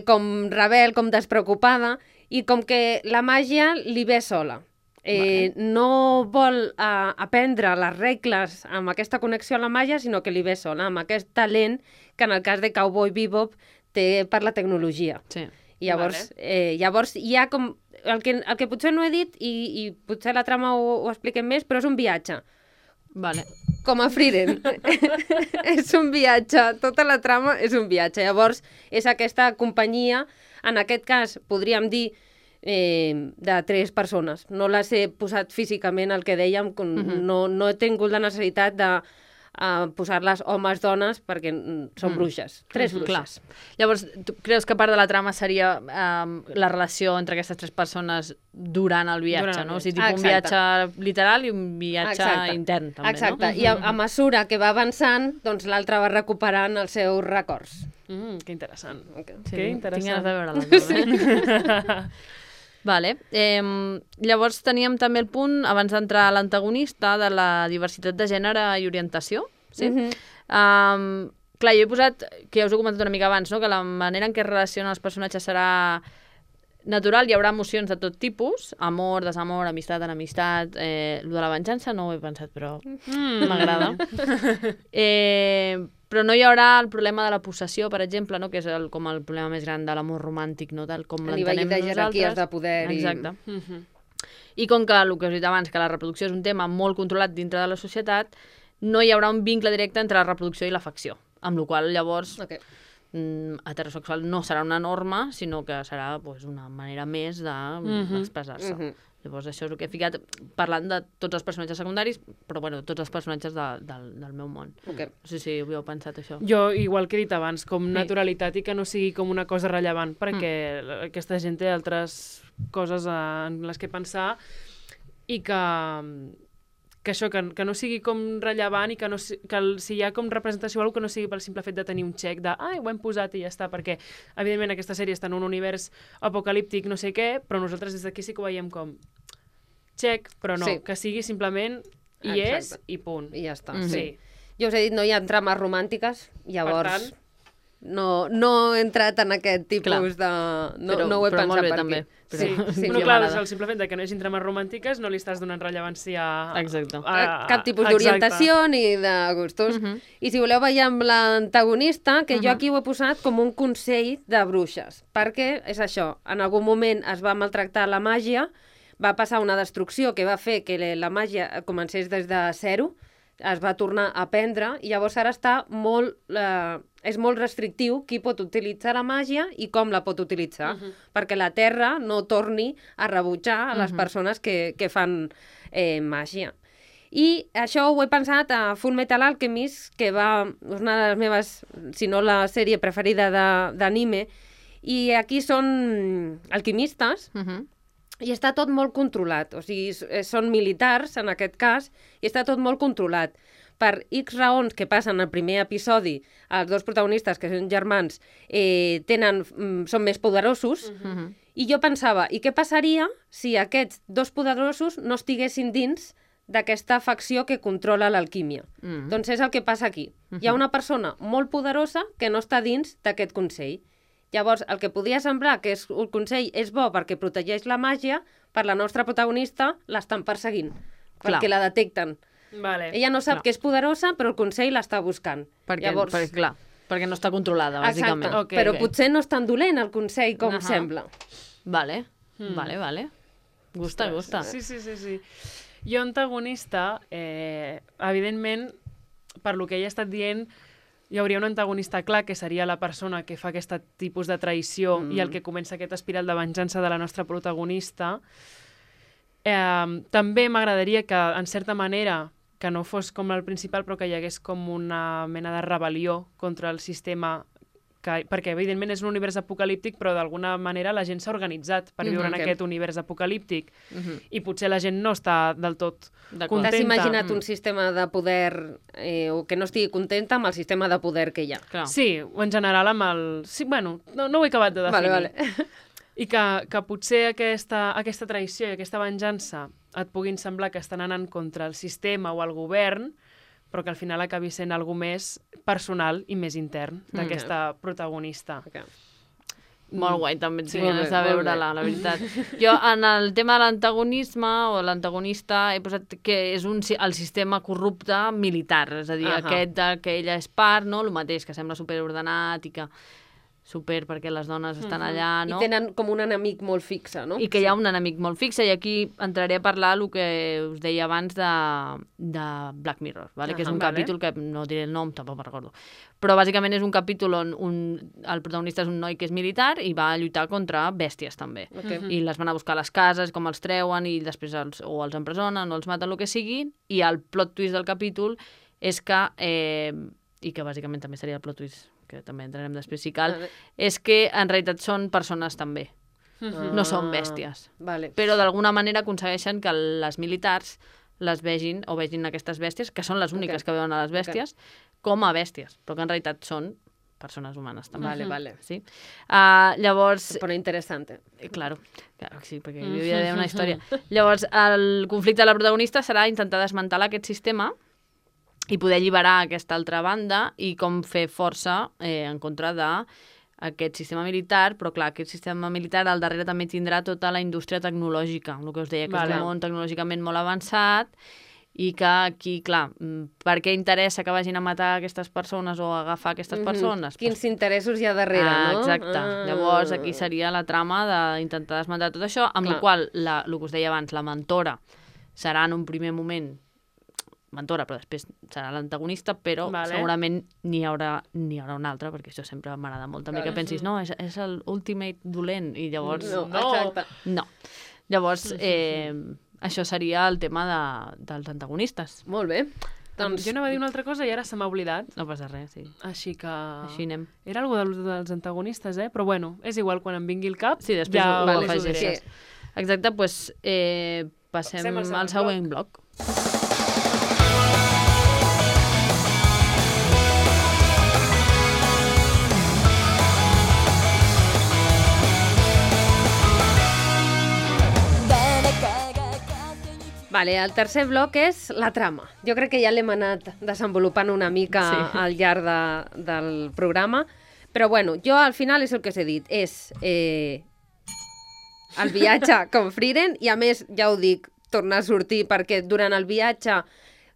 com rebel, com despreocupada, i com que la màgia li ve sola. No vol aprendre les regles amb aquesta connexió a la màgia, sinó que li ve sola, amb aquest talent que en el cas de Cowboy Bebop té per la tecnologia. Sí. I llavors hi ha com... El que potser no he dit, i potser la trama ho expliquem més, però és un viatge. Vale. Com a Frieren. És un viatge, tota la trama és un viatge. Llavors, és aquesta companyia, en aquest cas, podríem dir, de 3 persones. No les he posat físicament, el que dèiem, no he tingut la necessitat de posar-les homes, dones, perquè són bruixes. 3 bruixes. Clar. Llavors, tu creus que part de la trama seria la relació entre aquestes 3 persones durant el viatge, Durant el no? O sigui, viatge. un viatge literal i un viatge intern, també, Exacte. no? I a mesura que va avançant, doncs l'altre va recuperant els seus records. Que interessant. Sí, Que tinc ganes interessant. de veure-la. Vale. Llavors teníem també el punt, abans d'entrar a l'antagonista, de la diversitat de gènere i orientació. Sí? Clar, jo he posat, que ja us he comentat una mica abans, no? Que la manera en què es relacionen els personatges serà natural, hi haurà emocions de tot tipus, amor, desamor, amistat, enemistat, lo de la venjança no ho he pensat, però m'agrada. Però no hi haurà el problema de la possessió, per exemple, no? Que és com el problema més gran de l'amor romàntic, no? Tal com A nivell l'entenem de jerarquies nosaltres. de poder. Exacte. I com que el que us he dit abans, que la reproducció és un tema molt controlat dintre de la societat, no hi haurà un vincle directe entre la reproducció i l'afecció, amb la qual llavors heterosexual no serà una norma, sinó que serà pues, una manera més d'expressar-se. Llavors això és el que he ficat parlant de tots els personatges secundaris, però bueno, tots els personatges del meu món. No sé si ho havíeu pensat, això. Jo, igual que he dit abans, com naturalitat i que no sigui com una cosa rellevant, perquè aquesta gent té altres coses en les que pensar i que això, que no sigui com rellevant i que si hi ha com representació o alguna cosa que no sigui pel simple fet de tenir un xec de ho hem posat i ja està, perquè evidentment aquesta sèrie està en un univers apocalíptic no sé què, però nosaltres des d'aquí sí que ho veiem com xec, però no, que sigui simplement hi és i punt. I ja està. Sí. Jo us he dit, no hi ha trames romàntiques, llavors no he entrat en aquest tipus de... No ho he pensat per aquí. Però clar, el simple fet que no hi hagi trames romàntiques no li estàs donant rellevància a cap tipus d'orientació ni de gustos. I si voleu veure amb l'antagonista, que jo aquí ho he posat com un consell de bruixes, perquè és això, en algun moment es va maltractar la màgia, va passar una destrucció que va fer que la màgia comencés des de zero, es va tornar a aprendre i llavors ara està molt... és molt restrictiu qui pot utilitzar la màgia i com la pot utilitzar, perquè la Terra no torni a rebutjar a les persones que fan màgia. I això ho he pensat a Full Metal Alchemist, que és una de les meves, si no la sèrie preferida d'anime, i aquí són alquimistes, i està tot molt controlat, o sigui, són militars en aquest cas, i està tot molt controlat. Per X raons que passen al primer episodi, els 2 protagonistes, que són germans, són més poderosos, i jo pensava, i què passaria si aquests 2 poderosos no estiguessin dins d'aquesta facció que controla l'alquímia? Doncs és el que passa aquí. Hi ha una persona molt poderosa que no està dins d'aquest consell. Llavors, el que podia semblar que el consell és bo perquè protegeix la màgia, per la nostra protagonista l'estan perseguint, perquè la detecten. Ella no sap que és poderosa, però el consell l'està buscant. Perquè no està controlada, bàsicament. Exacte, però potser no és tan dolent el consell com sembla. Vale. Gusta. Sí. Jo, antagonista, evidentment, per lo que ella ha estat dient, hi hauria un antagonista clar, que seria la persona que fa aquest tipus de traïció i el que comença aquest espiral de venjança de la nostra protagonista. També m'agradaria que, en certa manera, que no fos com el principal, però que hi hagués com una mena de rebel·lió contra el sistema, perquè evidentment és un univers apocalíptic, però d'alguna manera la gent s'ha organitzat per viure en aquest univers apocalíptic i potser la gent no està del tot contenta. T'has imaginat un sistema de poder o que no estigui contenta amb el sistema de poder que hi ha? Sí, o en general amb el... Sí, bueno, no ho he acabat de definir. Vale. I que potser aquesta traïció i aquesta venjança et puguin semblar que estan anant contra el sistema o el govern, però que al final acabi sent algo més personal i més intern d'aquesta protagonista. Molt guai, també tinc ganes de veure-la, la veritat. Jo, en el tema de l'antagonisme o l'antagonista, he posat que és el sistema corrupte militar, és a dir, aquest que ella és part, no? El mateix, que sembla superordenat i que perquè les dones estan allà, no? I tenen com un enemic molt fixe, no? I que hi ha un enemic molt fixe, i aquí entraré a parlar el que us deia abans de Black Mirror, vale? Que és un capítol que no diré el nom, tampoc me'n recordo. Però bàsicament és un capítol on el protagonista és un noi que és militar i va lluitar contra bèsties, també. I les van a buscar a les cases, com els treuen, i després o els empresonen o els maten, el que sigui, i el plot twist del capítol és que, i que bàsicament també seria el plot twist, que també entrarem després si cal, és que en realitat són persones també, no són bèsties. Vale. Però d'alguna manera aconsegueixen que les militars les vegin, o vegin aquestes bèsties, que són les úniques que veuen a les bèsties, com a bèsties, però que en realitat són persones humanes també. Vale. Sí? Llavors... Però interessante. Claro, sí, perquè hi havia d'haver una història. Llavors, el conflicte de la protagonista serà intentar desmantelar aquest sistema i poder alliberar aquesta altra banda i com fer força en contra d'aquest sistema militar, però clar, aquest sistema militar al darrere també tindrà tota la indústria tecnològica, el que us deia, que és un món tecnològicament molt avançat i que aquí, clar, per què interessa que vagin a matar aquestes persones o a agafar aquestes persones? Quins interessos hi ha darrere, no? Exacte. Llavors, aquí seria la trama d'intentar desmantelar tot això, amb la qual, el que us deia abans, la mentora serà en un primer moment mentora, però després serà l'antagonista, però segurament n'hi haurà una altra, perquè això sempre m'agrada molt també que pensis, no, és l'ultimate dolent, i llavors... No. Llavors, això seria el tema dels antagonistes. Molt bé. Doncs jo anava a dir una altra cosa i ara se m'ha oblidat. No passa res, sí. Així que... Així anem. Era algo dels antagonistes, però bueno, és igual, quan em vingui el cap... Sí, després ho afegiré. Exacte, doncs passem al següent bloc. Vale, el tercer bloc és la trama. Jo crec que ja l'hem anat desenvolupant una mica al llarg del programa, però bueno, jo al final és el que us he dit, és el viatge com Frieren, i a més, ja ho dic, tornar a sortir, perquè durant el viatge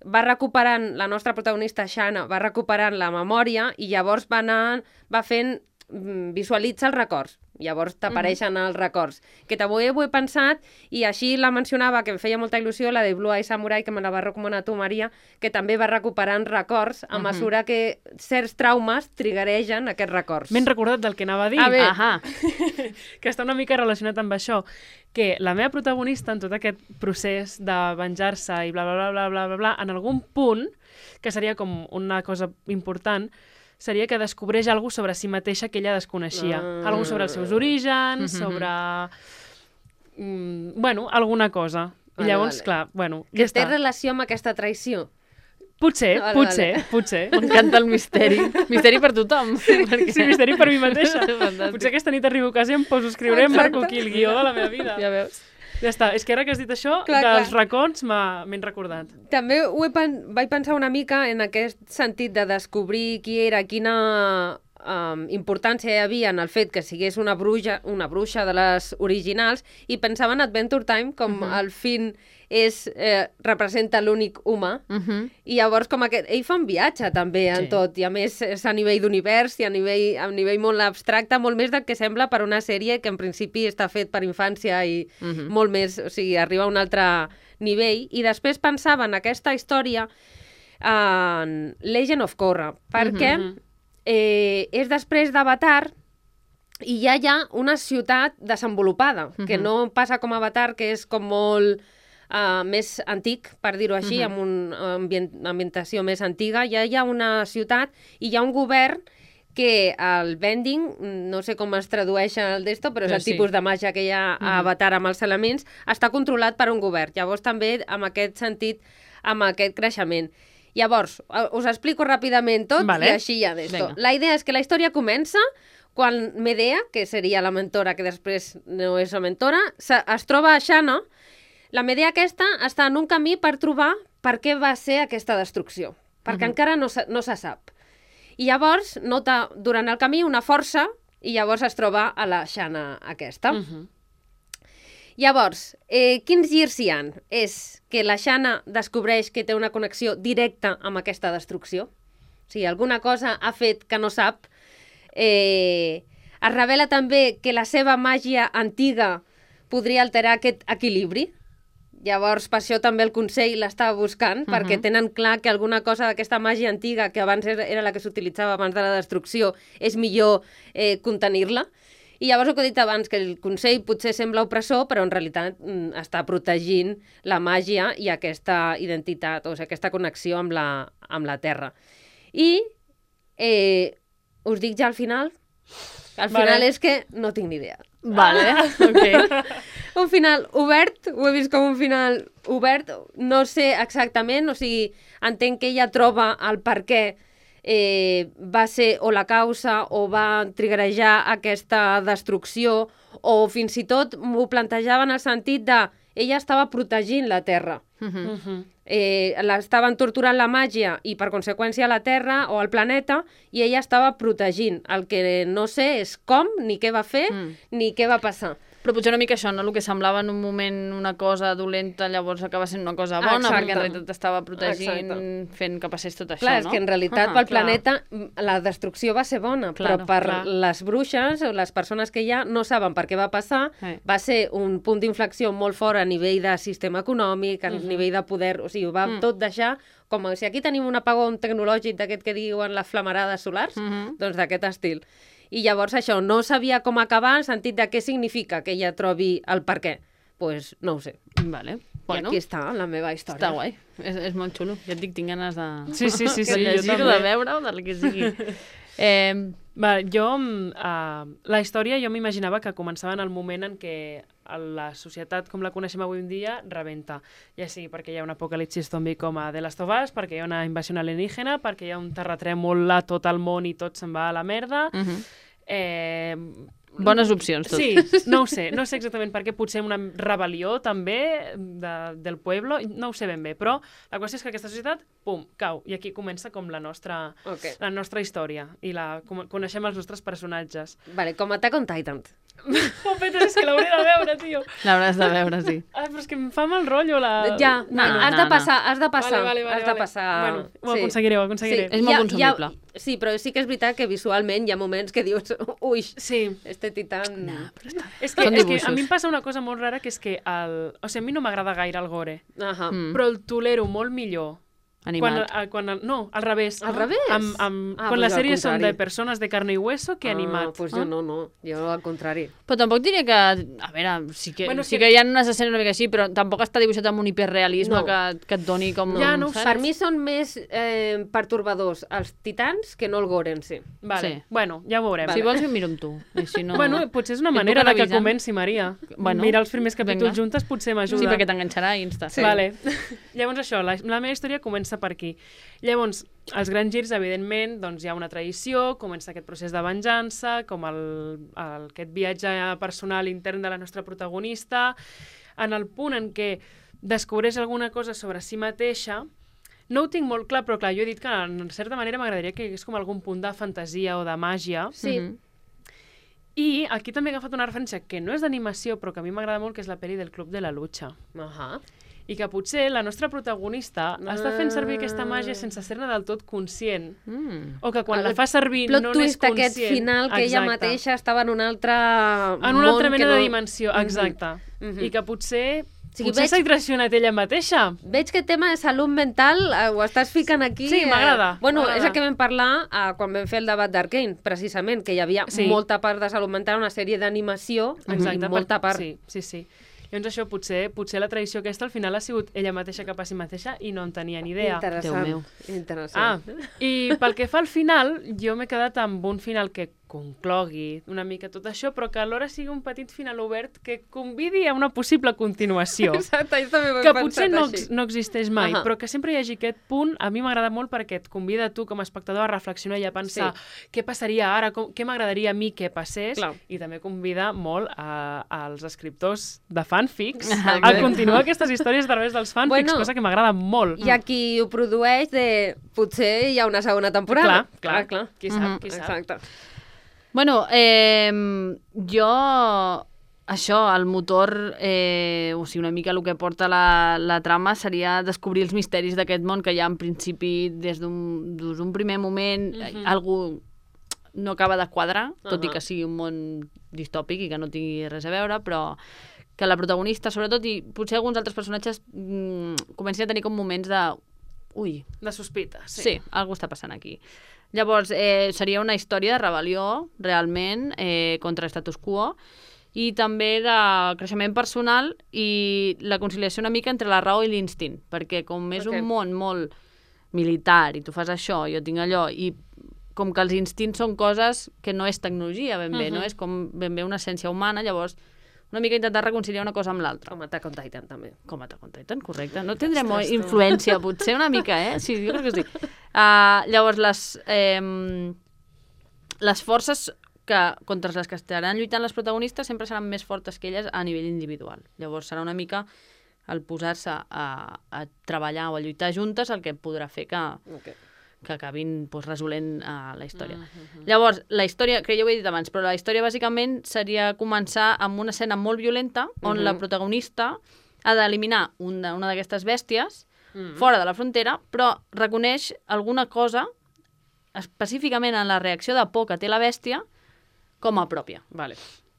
va recuperant, la nostra protagonista Shanna va recuperant la memòria i llavors va fent, visualitza els records. Llavors t'apareixen els records. Que també ho he pensat, i així la mencionava, que em feia molta il·lusió, la de Blue Eye Samurai, que me la va recomanar tu, Maria, que també va recuperant records a mesura que certs traumes triggeregen aquests records. M'he recordat del que anava a dir. Que està una mica relacionat amb això, que la meva protagonista en tot aquest procés de venjar-se i bla, bla, bla, bla, bla, bla, bla, en algun punt, que seria com una cosa important, seria que descobreix alguna sobre si mateixa que ella desconeixia. Alguna sobre els seus orígens, sobre... bueno, alguna cosa. I llavors, clar, bueno, ja està. Té relació amb aquesta traïció? Potser. M'encanta el misteri. Misteri per tothom. Sí, misteri per mi mateixa. Potser aquesta nit arribo a casa i em poso a escriure en marco aquí el guió de la meva vida. Ja veus. Ja està, és que ara que has dit això, dels racons m'he recordat. També vaig pensar una mica en aquest sentit de descobrir qui era, quina importància hi havia en el fet que sigués una bruixa de les originals, i pensava en Adventure Time com el Finn representa l'únic humà, i llavors com ell fa un viatge també en tot, i a més és a nivell d'univers i a nivell molt abstracte, molt més del que sembla per una sèrie que en principi està fet per infància i molt més, o sigui, arriba a un altre nivell. I després pensava en aquesta història en Legend of Korra, perquè és després d'Avatar i ja hi ha una ciutat desenvolupada, que no passa com Avatar, que és com molt més antic, per dir-ho així, amb una ambientació més antiga. Ja hi ha una ciutat i hi ha un govern que el bending, no sé com es tradueix el d'esto, però és el tipus de màgia que hi ha a Avatar amb els elements, està controlat per un govern. Llavors també, amb aquest sentit, amb aquest creixement. Llavors, us explico ràpidament tot i així ja d'esto. La idea és que la història comença quan Medea, que seria la mentora, que després no és la mentora, es troba a Shanna. La Medea aquesta està en un camí per trobar per què va ser aquesta destrucció, perquè encara no se sap. I llavors nota durant el camí una força i llavors es troba a la Shanna aquesta. Llavors, quins girs hi ha? És que la Shanna descobreix que té una connexió directa amb aquesta destrucció. O sigui, alguna cosa ha fet que no sap. Es revela també que la seva màgia antiga podria alterar aquest equilibri. Llavors, per això també el Consell l'estava buscant, perquè tenen clar que alguna cosa d'aquesta màgia antiga, que abans era la que s'utilitzava abans de la destrucció, és millor contenir-la. I llavors el que he dit abans, que el Consell potser sembla opressor, però en realitat està protegint la màgia i aquesta identitat, o sigui, aquesta connexió amb la Terra. I us dic ja al final, al final és que no tinc ni idea. Vale, ok. Un final obert, ho he vist com un final obert, no sé exactament, o sigui, entenc que ella troba el per què va ser o la causa o va triggerejar aquesta destrucció, o fins i tot m'ho plantejava en el sentit de ella estava protegint la Terra. L'estaven torturant la màgia i per conseqüència la Terra o el planeta, i ella estava protegint. El que no sé és com, ni què va fer, ni què va passar. Però potser una mica això, no? El que semblava en un moment una cosa dolenta, llavors acaba sent una cosa bona, Exacte. perquè en realitat estava protegint, Exacte. fent que passés tot això, Clar, no? és que en realitat pel planeta la destrucció va ser bona, però per les bruixes o les persones que hi ha no saben per què va passar, va ser un punt d'inflexió molt fort a nivell de sistema econòmic, a nivell de poder, o sigui, ho va tot deixar com si aquí tenim un apagón tecnològic d'aquest que diuen les flamarades solars, doncs d'aquest estil. I llavors això, no sabia com acabar en sentit de què significa que ella trobi el per què. Doncs pues, no ho sé. Vale. Bueno, i aquí està la meva història. Està guai, és molt xulo. Ja et dic, tinc ganes de, Sí, de llegir-ho, de veure-ho, del que sigui. Jo, la història jo m'imaginava que començava en el moment en què la societat com la coneixem avui en dia rebenta. Ja sigui perquè hi ha un apocalipsis zombi com a The Last of Us, perquè hi ha una invasió alienígena, perquè hi ha un terratrèmol a tot el món i tot se'n va a la merda. Bones opcions, tot. Sí, no ho sé exactament per què, potser una rebel·lió també del pueblo, no ho sé ben bé, però la qüestió és que aquesta societat, pum, cau, i aquí comença com la nostra història, i coneixem els nostres personatges. Vale, com Attack on Titan. Oh, Peter, és que l'hauré de veure, tio. L'hauràs de veure, sí. Ai, però és que em fa mal rotllo la... Ja, has de passar. Vale. Has de passar. Bueno, ho aconseguiré. Sí, és molt consumible. Sí, però sí que és veritat que visualment hi ha moments que dius, ui, este titán... És que a mi em passa una cosa molt rara, que és que o sigui, a mi no m'agrada gaire el gore, però el tolero molt millor animat. No, al revés. Al revés? Quan les sèries són de persones de carne i hueso que animat. Pues jo no, jo al contrari. Però tampoc diria que... A veure, sí que hi ha unes escenes una mica així, però tampoc està dibuixat amb un hiperrealisme que et doni com... Ja, no, per mi són més pertorbadors els titans que no el gore en si. Vale. Bueno, ja ho veurem. Si vols jo miro amb tu. No... Bueno, potser és una manera de que comenci, Maria. Mirar els primers capítols juntes potser m'ajuda. Sí, perquè t'enganxarà i insta. Vale. Llavors això, la meva història comença per aquí. Llavors, els grans girs, evidentment, doncs hi ha una traïció, comença aquest procés de venjança, com aquest viatge personal intern de la nostra protagonista, en el punt en què descobreix alguna cosa sobre si mateixa. No ho tinc molt clar, però clar, jo he dit que en certa manera m'agradaria que hi hagués com algun punt de fantasia o de màgia. Sí. I aquí també he agafat una referència que no és d'animació, però que a mi m'agrada molt, que és la pel·li del Club de la Lucha. I que potser la nostra protagonista està fent servir aquesta màgia sense ser-ne del tot conscient. O que quan la fa servir no n'és conscient. Plot twist aquest final, que ella mateixa estava en un altre en una altra mena de dimensió, exacte. I que potser s'ha traicionat ella mateixa. Veig que el tema de salut mental ho estàs ficant aquí. Sí, m'agrada. Bueno, és el que vam parlar quan vam fer el debat d'Arcane, precisament, que hi havia molta part de salut mental, una sèrie d'animació, i molta part. Sí. Llavors això, potser la tradició aquesta al final ha sigut ella mateixa cap a si mateixa i no en tenia ni idea. Interessant. I pel que fa al final, jo m'he quedat amb un final que conclogui una mica tot això, però que alhora sigui un petit final obert que convidi a una possible continuació. Exacte, jo també ho he que pensat potser així. no existeix mai, però que sempre hi hagi aquest punt, a mi m'agrada molt perquè et convida a tu com a espectador a reflexionar i a pensar què passaria ara, què m'agradaria a mi que passés, i també convida molt als escriptors de fanfics a continuar aquestes històries a través dels fanfics, cosa que m'agrada molt. I a qui ho produeix potser hi ha una segona temporada. Clar. Qui sap. Exacte. Bueno, jo, això, el motor, o sigui, una mica el que porta la trama seria descobrir els misteris d'aquest món que ja en principi, des d'un primer moment, algú no acaba de quadrar, tot i que sigui un món distòpic i que no tingui res a veure, però que la protagonista, sobretot, i potser alguns altres personatges comencin a tenir com moments de ui, De sospita, sí. sí, alguna està passant aquí. Llavors, seria una història de rebel·lió, realment, contra status quo, i també de creixement personal i la conciliació una mica entre la raó i l'instint, perquè com és un món molt militar i tu fas això, jo tinc allò, i com que els instints són coses que no és tecnologia ben bé, no és com ben bé una essència humana, llavors una mica intentar reconciliar una cosa amb l'altra. Com Attack on Titan, també. Com Attack on Titan, correcte. No tindrem influència, potser una mica, Sí, jo crec que sí. Llavors, les forces contra les que estaran lluitant les protagonistes sempre seran més fortes que elles a nivell individual. Llavors, serà una mica el posar-se a treballar o a lluitar juntes el que podrà fer que acabin resolent la història. Llavors, la història, que ja ho he dit abans, però la història bàsicament seria començar amb una escena molt violenta on la protagonista ha d'eliminar una d'aquestes bèsties fora de la frontera, però reconeix alguna cosa, específicament en la reacció de por que té la bèstia, com a pròpia. Vale.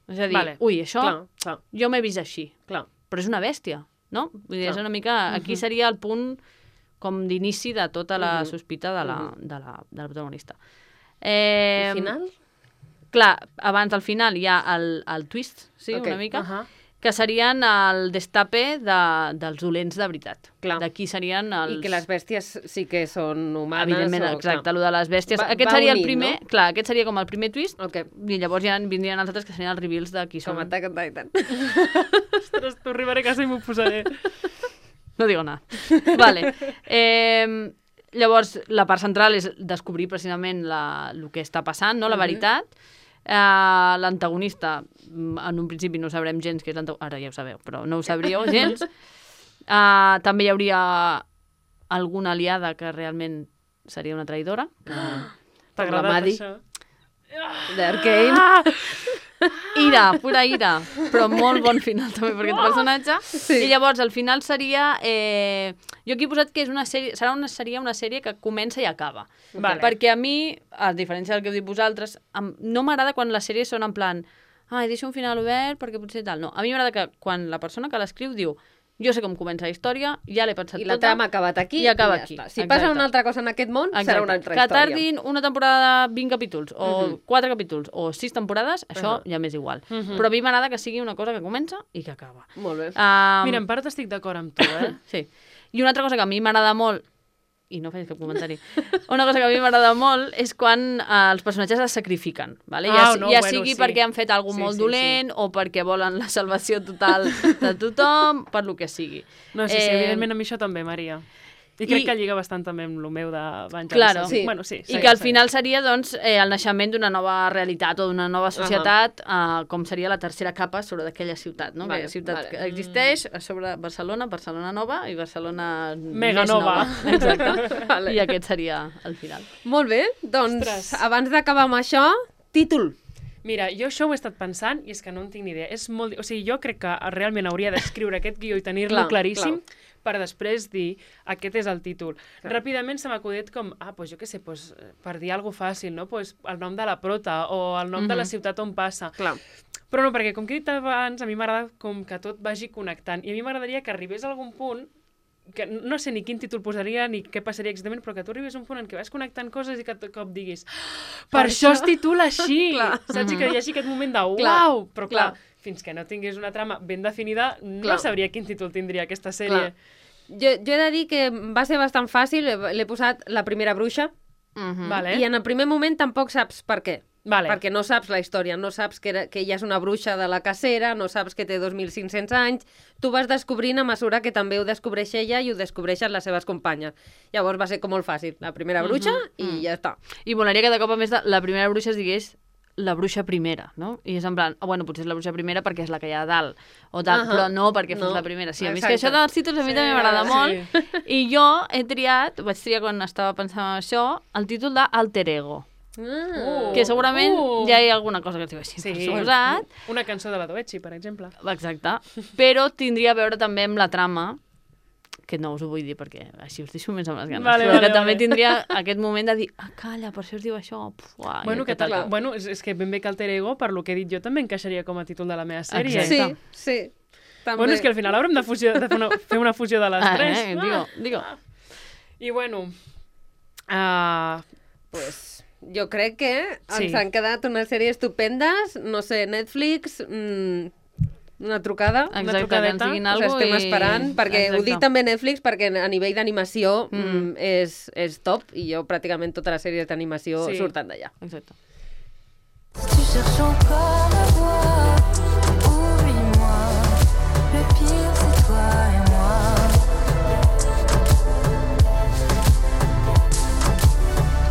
És a dir, ui, això clar. jo m'he vist així, Clar. però és una bèstia, no? Vull dir, és una mica... Aquí seria el punt com d'inici de tota la sospita de la protagonista. El final? Clar, abans del final hi ha el twist, sí, una mica, que serien el destape dels dolents de veritat. D'aquí serien els... I que les bèsties sí que són humanes. Evidentment, exacte, el de les bèsties. Aquest seria el primer, clar, aquest seria com el primer twist, i llavors ja vindrien els altres que serien els reveals de qui són. Com Attack on Titan. Ostres, tu arribaré a casa i m'ho posaré. No digo nada. Vale. Llavors, la part central és descobrir precisament el que està passant, no? La veritat. L'antagonista, en un principi no sabrem gens que és l'antagonista, ara ja ho sabeu, però no ho sabríeu gens. També hi hauria alguna aliada que realment seria una traïdora. T'ha agradat això? D'Arcane. Ira, pura ira, però molt bon final també per aquest personatge. I llavors el final seria... jo aquí he posat que és una sèrie, seria una sèrie que comença i acaba. Perquè a mi, a diferència del que heu dit vosaltres, no m'agrada quan les sèries són en plan deixo un final obert perquè potser tal. No, a mi m'agrada que quan la persona que l'escriu diu jo sé com comença la història, ja l'he pensat tota. I la trama ha acabat aquí i acaba aquí. Si passa una altra cosa en aquest món, serà una altra història. Que tardin una temporada de 20 capítols, o 4 capítols, o 6 temporades, això ja m'és igual. Però a mi m'agrada que sigui una cosa que comença i que acaba. Molt bé. Mira, en part estic d'acord amb tu, Sí. I una altra cosa que a mi m'agrada molt, i no facis cap comentari, una cosa que a mi m'agrada molt és quan els personatges es sacrifiquen, vale? Sigui perquè han fet alguna cosa molt dolent o perquè volen la salvació total de tothom, per lo que sigui. No, sí, evidentment a mi això també, Maria. I crec que lliga bastant també amb el meu de venjança. Claro, sí. I que al final seria doncs, el naixement d'una nova realitat o d'una nova societat, com seria la tercera capa sobre d'aquella ciutat, no? Aquella ciutat que existeix a sobre Barcelona, Barcelona Nova i Barcelona Mega nova. Exacte. I aquest seria el final. Molt bé, doncs abans d'acabar amb això, títol. Mira, jo això ho he estat pensant i és que no en tinc ni idea. És molt... O sigui, jo crec que realment hauria d'escriure aquest guió i tenir-lo claríssim per després dir aquest és el títol. Ràpidament se m'ha acudit com, doncs jo què sé, per dir alguna cosa fàcil, no? El nom de la prota o el nom de la ciutat on passa. Però no, perquè com que he dit abans, a mi m'agrada com que tot vagi connectant. I a mi m'agradaria que arribés a algun punt que no sé ni quin títol posaria ni què passaria exactament, però que tu arribés a un punt en què vas connectant coses i que de cop diguis per això es titula així, saps? I que hi hagi aquest moment de uau! Però clar, fins que no tingués una trama ben definida, no sabria quin títol tindria aquesta sèrie. Jo he de dir que va ser bastant fàcil, l'he posat La primera bruixa, i en el primer moment tampoc saps per què. Perquè no saps la història, no saps que ella és una bruixa de la cacera, no saps que té 2.500 anys, tu vas descobrint a mesura que també ho descobreix ella i ho descobreixen les seves companyes. Llavors va ser com molt fàcil, La primera bruixa i ja està. I molaria que de cop a més La primera bruixa es digués la bruixa primera, no? I és en plan, potser és la bruixa primera perquè és la que hi ha a dalt, o tal, però no perquè fos la primera. Sí, a mi és que això dels títols a mi també m'agrada molt, i jo vaig triar quan estava pensant en això, el títol d'Alter Ego. Que segurament ja hi ha alguna cosa que es diu així, per suposat. Una cançó de la Doechi, per exemple. Exacte. Però tindria a veure també amb la trama, que no us ho vull dir perquè així us deixo més amb les ganes, però que també tindria aquest moment de dir calla, per això us diu això. Bueno, és que ben bé que Alter Ego, per lo que he dit jo, també encaixaria com a títol de la meva sèrie. Sí. Bueno, és que al final haurem de fer una fusió de les tres. Digo. I bueno... Pues jo crec que Sí. ens han quedat unes sèries estupendes, no sé, Netflix, una trucada, Exacte, que ens trucadeta, diguin us alguna cosa estem esperant, perquè ho dic també Netflix, perquè a nivell d'animació és top, i jo pràcticament totes les sèries d'animació Sí. surten d'allà. Exacte. Si tu cherches encore à voir, oublie-moi. Le pire, c'est toi et moi.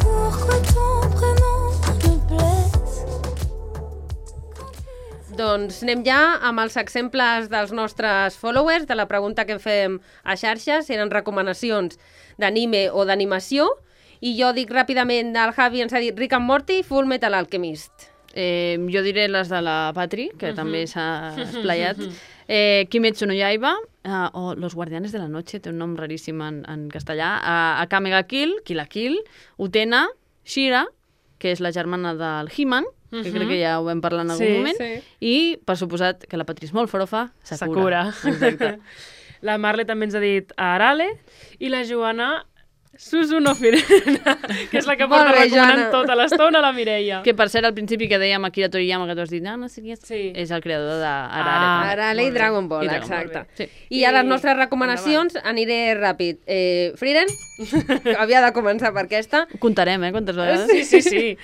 Pourquoi ton prénom me blesse? Doncs anem ja amb els exemples dels nostres followers, de la pregunta que fem a xarxes, si eren recomanacions d'anime o d'animació, i jo dic ràpidament, el Javi ens ha dit Rick and Morty, Full Metal Alchemist. Jo diré les de la Patri, que també s'ha esplayat. Kimetsu no Yaiba, o Los Guardianes de la Noche, té un nom raríssim en castellà. Akame ga Kill, Kill la Kill, Utena, Shira, que és la germana del He-Man, que crec que ja ho vam parlar en algun Sí, moment, sí. i, per suposat, que la Patri és molt forofa, Sakura. Exacte. La Marle també ens ha dit Arale i la Joana Suzuno Firena, que és la que Molt porta bé, recomanant Joana. tota l'estona a la Mireia. Que, per cert, al principi que dèiem Akira Toriyama, que tu has dit, no sé qui és, Sí. és el creador d'Arare. Ah, Arale i molt bé. Dragon Ball, I Dragon Ball, exacte. sí. I a les nostres recomanacions aniré ràpid. Frieren, havia de començar per aquesta. Ho comptarem, quantes vegades? Sí, sí, sí.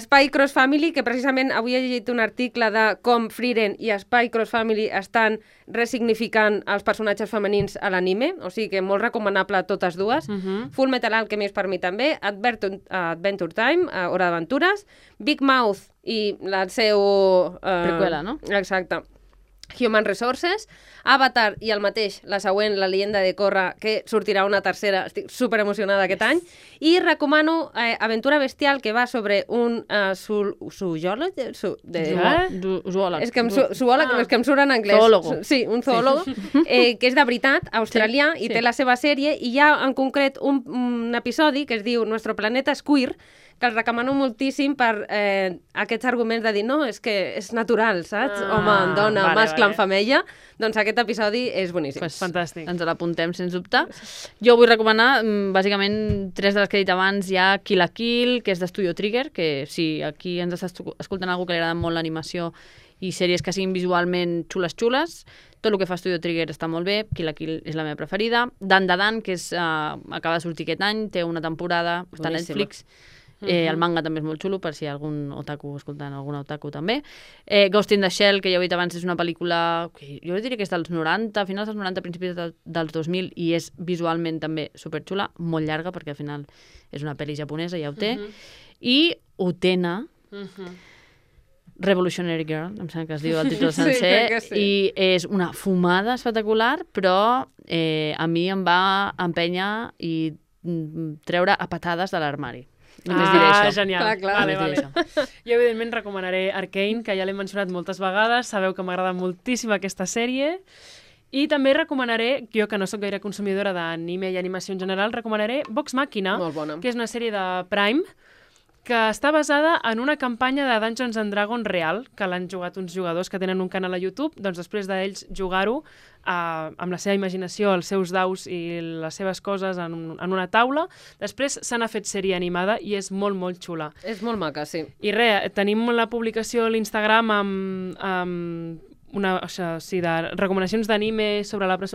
Spy Cross Family, que precisament avui he llegit un article de com Frieren i Spy Cross Family estan resignificant els personatges femenins a l'anime, o sigui que molt recomanable totes dues. Full Metal Alchemist per mi també, Adventure Time, Hora d'Aventures, Big Mouth i el seu... Preqüela, no? Exacte. Human Resources, Avatar i el mateix, la següent, La leyenda de Korra, que sortirà una tercera, estic super emocionada aquest any, i recomano Aventura Bestial, que va sobre un zoòleg, Zoòleg. és que zoòleg, és que em surt en anglès. Zoòlogo. Sí, un zoòlogo, que és de veritat, australià, i té la seva sèrie, i hi ha en concret un episodi que es diu Nuestro planeta és queer, que el recomano moltíssim per aquests arguments de dir, no, és que és natural, saps? Home, dona, vale, mascle vale. en femella. Doncs aquest episodi és boníssim. Pues, Fantàstic. Ens l'apuntem, sens dubte. Jo vull recomanar, bàsicament, tres de les que he dit abans. Hi ha Kill la Kill, que és d'Estudio Trigger, que si aquí ens està escoltant algú que li agrada molt l'animació i sèries que siguin visualment xules, tot el que fa Studio Trigger està molt bé. Kill la Kill és la meva preferida. Dan Da Dan, que acaba de sortir aquest any, té una temporada, està a Boníssima. Netflix. El manga també és molt xulo, per si hi ha algun otaku escoltant, alguna otaku també. Ghost in the Shell, que ja ho he dit abans, és una pel·lícula que jo diria que és dels 90, finals dels 90, principis dels 2000, i és visualment també superxula, molt llarga, perquè al final és una pel·li japonesa, ja ho té. I Utena, Revolutionary Girl, em sembla que es diu el títol Sí, sencer, crec que sí. i és una fumada espectacular, però a mi em va empènyer i treure a patades de l'armari. Només diré això. Genial. Clar. Vale, Només diré vale. Jo, evidentment, recomanaré Arcane, que ja l'he mencionat moltes vegades. Sabeu que m'agrada moltíssim aquesta sèrie. I també recomanaré, jo que no sóc gaire consumidora d'anime i animació en general, recomanaré Vox Machina, Molt bona. que és una sèrie de Prime, que està basada en una campanya de Dungeons and Dragons real, que l'han jugat uns jugadors que tenen un canal a YouTube, doncs després d'ells jugar-ho amb la seva imaginació, els seus daus i les seves coses en una taula, després se n'ha fet sèrie animada i és molt, molt xula. És molt maca, sí. I res, tenim la publicació a l'Instagram amb de recomanacions d'anime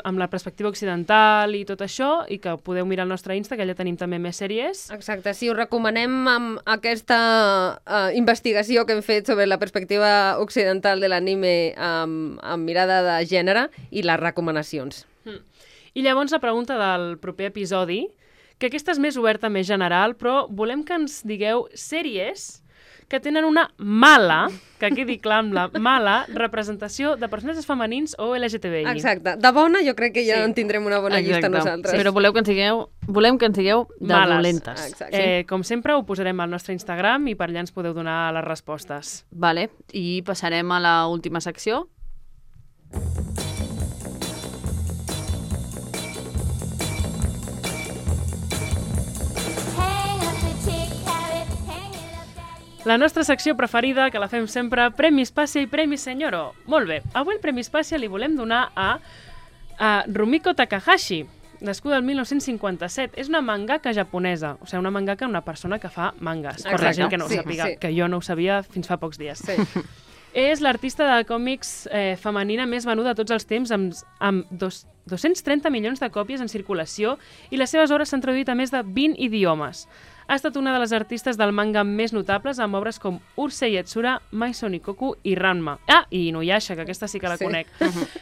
amb la perspectiva occidental i tot això, i que podeu mirar al nostre Insta, que allà tenim també més sèries. Exacte, sí, us recomanem amb aquesta investigació que hem fet sobre la perspectiva occidental de l'anime amb mirada de gènere i les recomanacions. I llavors la pregunta del proper episodi, que aquesta és més oberta, més general, però volem que ens digueu sèries que tenen una mala, que quedi clar amb la mala, representació de personatges femenins o LGTBI. Exacte. De bona jo crec que ja Sí. en tindrem una bona llista nosaltres. Però volem que ens digueu de Males. dolentes. Exacte. Com sempre, ho posarem al nostre Instagram i per allà ens podeu donar les respostes. Vale, i passarem a la última secció. La nostra secció preferida, que la fem sempre, Premi Spàcia i Premi Senyoro. Molt bé, avui el Premi Spàcia li volem donar a Rumiko Takahashi. nascuda el 1957. És una mangaka japonesa, o sigui, una mangaka, una persona que fa mangas, per la Exacte. gent que no ho Sí, sàpiga, sí. que jo no ho sabia fins fa pocs dies. Sí. És l'artista de còmics femenina més venuda de tots els temps, amb 230 milions de còpies en circulació, i les seves obres s'han traduït a més de 20 idiomes. Ha estat una de les artistes del manga més notables, amb obres com Urusei Yatsura, Mai Sonikoku i Ranma. Ah, i Inuyasha, que aquesta sí que la conec.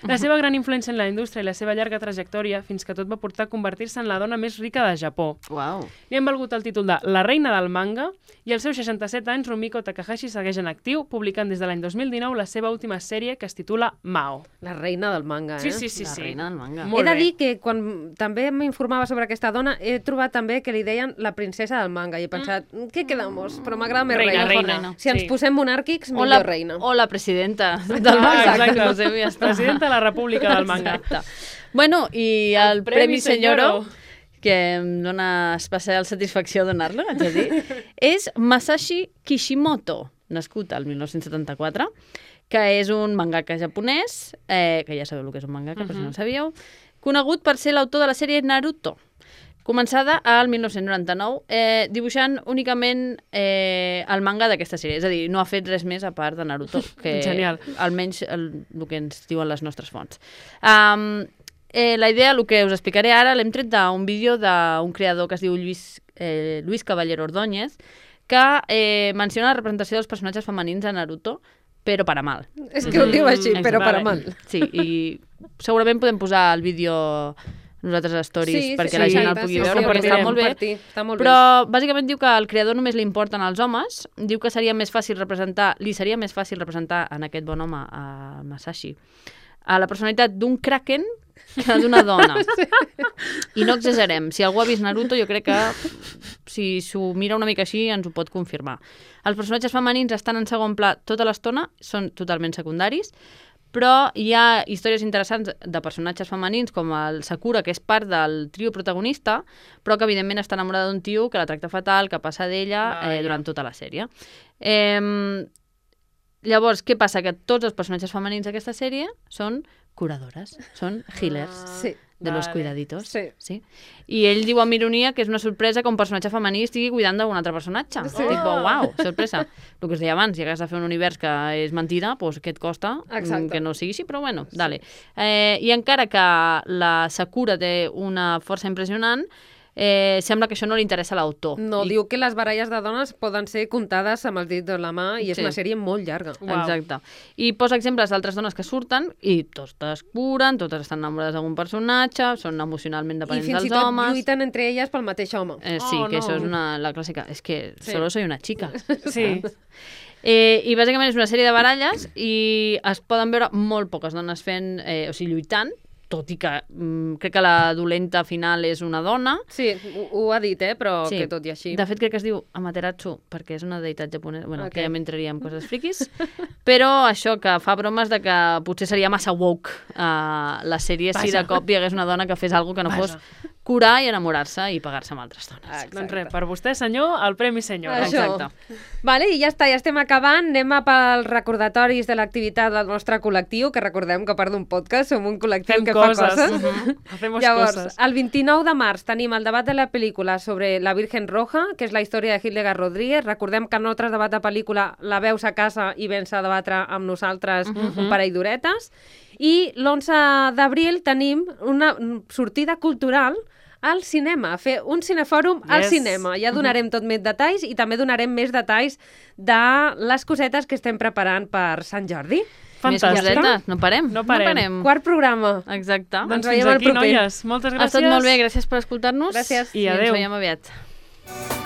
La seva gran influència en la indústria i la seva llarga trajectòria fins que tot va portar a convertir-se en la dona més rica de Japó. Uau. Li han valgut el títol de La reina del manga i als seus 67 anys Rumiko Takahashi segueix en actiu, publicant des de l'any 2019 la seva última sèrie que es titula Mao. La reina del manga, Sí, eh? sí, sí. La sí. reina del manga. Molt He de bé. dir que quan també m'informava sobre aquesta dona, he trobat també que li deien la princesa del manga i he pensat, què quedamos? Però m'agrada més Reina, reina. reina. Si ens Sí. posem monàrquics, O millor reina. o la presidenta del Ah, manga. exacte. No sé, ja està. Presidenta de la República del manga. Exacte. Bueno, i el Premi Senyoro, Senyoro. que em dona especial satisfacció donar-lo, haig de dir, és Masashi Kishimoto, nascut al 1974, que és un mangaka japonès, que ja sabeu el que és un mangaka, per si no ho sabíeu, conegut per ser l'autor de la sèrie Naruto, començada al 1999, dibuixant únicament el manga d'aquesta sèrie. És a dir, no ha fet res més a part de Naruto, que Genial. almenys el que ens diuen les nostres fonts. La idea, el que us explicaré ara, l'hem tret d'un vídeo d'un creador que es diu Luis Caballero Ordóñez, que menciona la representació dels personatges femenins a Naruto, però per a mal. És que ho diu així, però per a Vale. mal. Sí, i segurament podem posar el vídeo nosaltres a stories perquè la gent el pugui veure, perquè està molt bé. Està molt Però bàsicament diu que al creador només li importen els homes, diu que seria més fàcil representar en aquest bon home, a Masashi, a la personalitat d'un kraken que d'una dona. I no exagerem. Si algú ha vist Naruto, jo crec que si s'ho mira una mica així ens ho pot confirmar. Els personatges femenins estan en segon pla tota l'estona, són totalment secundaris, però hi ha històries interessants de personatges femenins com el Sakura, que és part del trio protagonista, però que evidentment està enamorada d'un tio que la tracta fatal, que passa d'ella durant tota la sèrie. Llavors, què passa? Que tots els personatges femenins d'aquesta sèrie són curadores, són healers Sí. de los Vale. cuidaditos. Sí. I ell diu amb ironia que és una sorpresa que un personatge femení estigui cuidant d'un altre personatge. Sí. Tipo, uau, sorpresa. El que us deia abans, si hagués de fer un univers que és mentida, doncs què et costa Exacte. que no sigui així, però bueno, dale. I encara que la Sakura té una força impressionant, sembla que això no li interessa a l'autor. No, diu que les baralles de dones poden ser comptades amb els dits de la mà i és Sí. una sèrie molt llarga. Uau. Exacte. I posa exemples d'altres dones que surten i totes curen, totes estan enamorades d'algun personatge, són emocionalment I dependents fins i dels tot homes. lluiten entre elles pel mateix home. Sí, Oh, que no. això és la clàssica. És que solo soy una chica. Sí. I bàsicament és una sèrie de baralles i es poden veure molt poques dones fent, o sigui, lluitant, tot i que crec que la dolenta final és una dona. Sí, ho ha dit, però Sí. que tot i així. De fet, crec que es diu Amaterasu, perquè és una deïtat japonesa. Bueno, Ok. que ja m'entraria en coses friquis. Però això, que fa bromes de que potser seria massa woke la sèrie si de cop hi hagués una dona que fes alguna que no fos curar i enamorar-se i pagar-se amb altres dones. Doncs res, per vostè, senyor, el Premi Senyora. Això. Exacte. Vale, i ja està, ja estem acabant. Anem a pels recordatoris de l'activitat del nostre col·lectiu, que recordem que a part d'un podcast som un col·lectiu Fem que coses. fa coses. Hacemos Llavors, coses. el 29 de març tenim el debat de la pel·lícula sobre la Virgen Roja, que és la història de Hildegard Rodríguez. Recordem que en altres debat de pel·lícula la veus a casa i vens a debatre amb nosaltres un parell d'horetes. I l'11 d'abril tenim una sortida cultural al cinema, fer un cinefòrum al Yes. cinema. Ja donarem tot més detalls i també donarem més detalls de les cosetes que estem preparant per Sant Jordi. Més Fantàstic. cosetes, no parem. No parem. Quart programa. Exacte. Doncs Ens fins veiem el aquí, proper. noies. Moltes gràcies. Ha estat molt bé, gràcies per escoltar-nos. Gràcies. I I adéu. ens veiem aviat.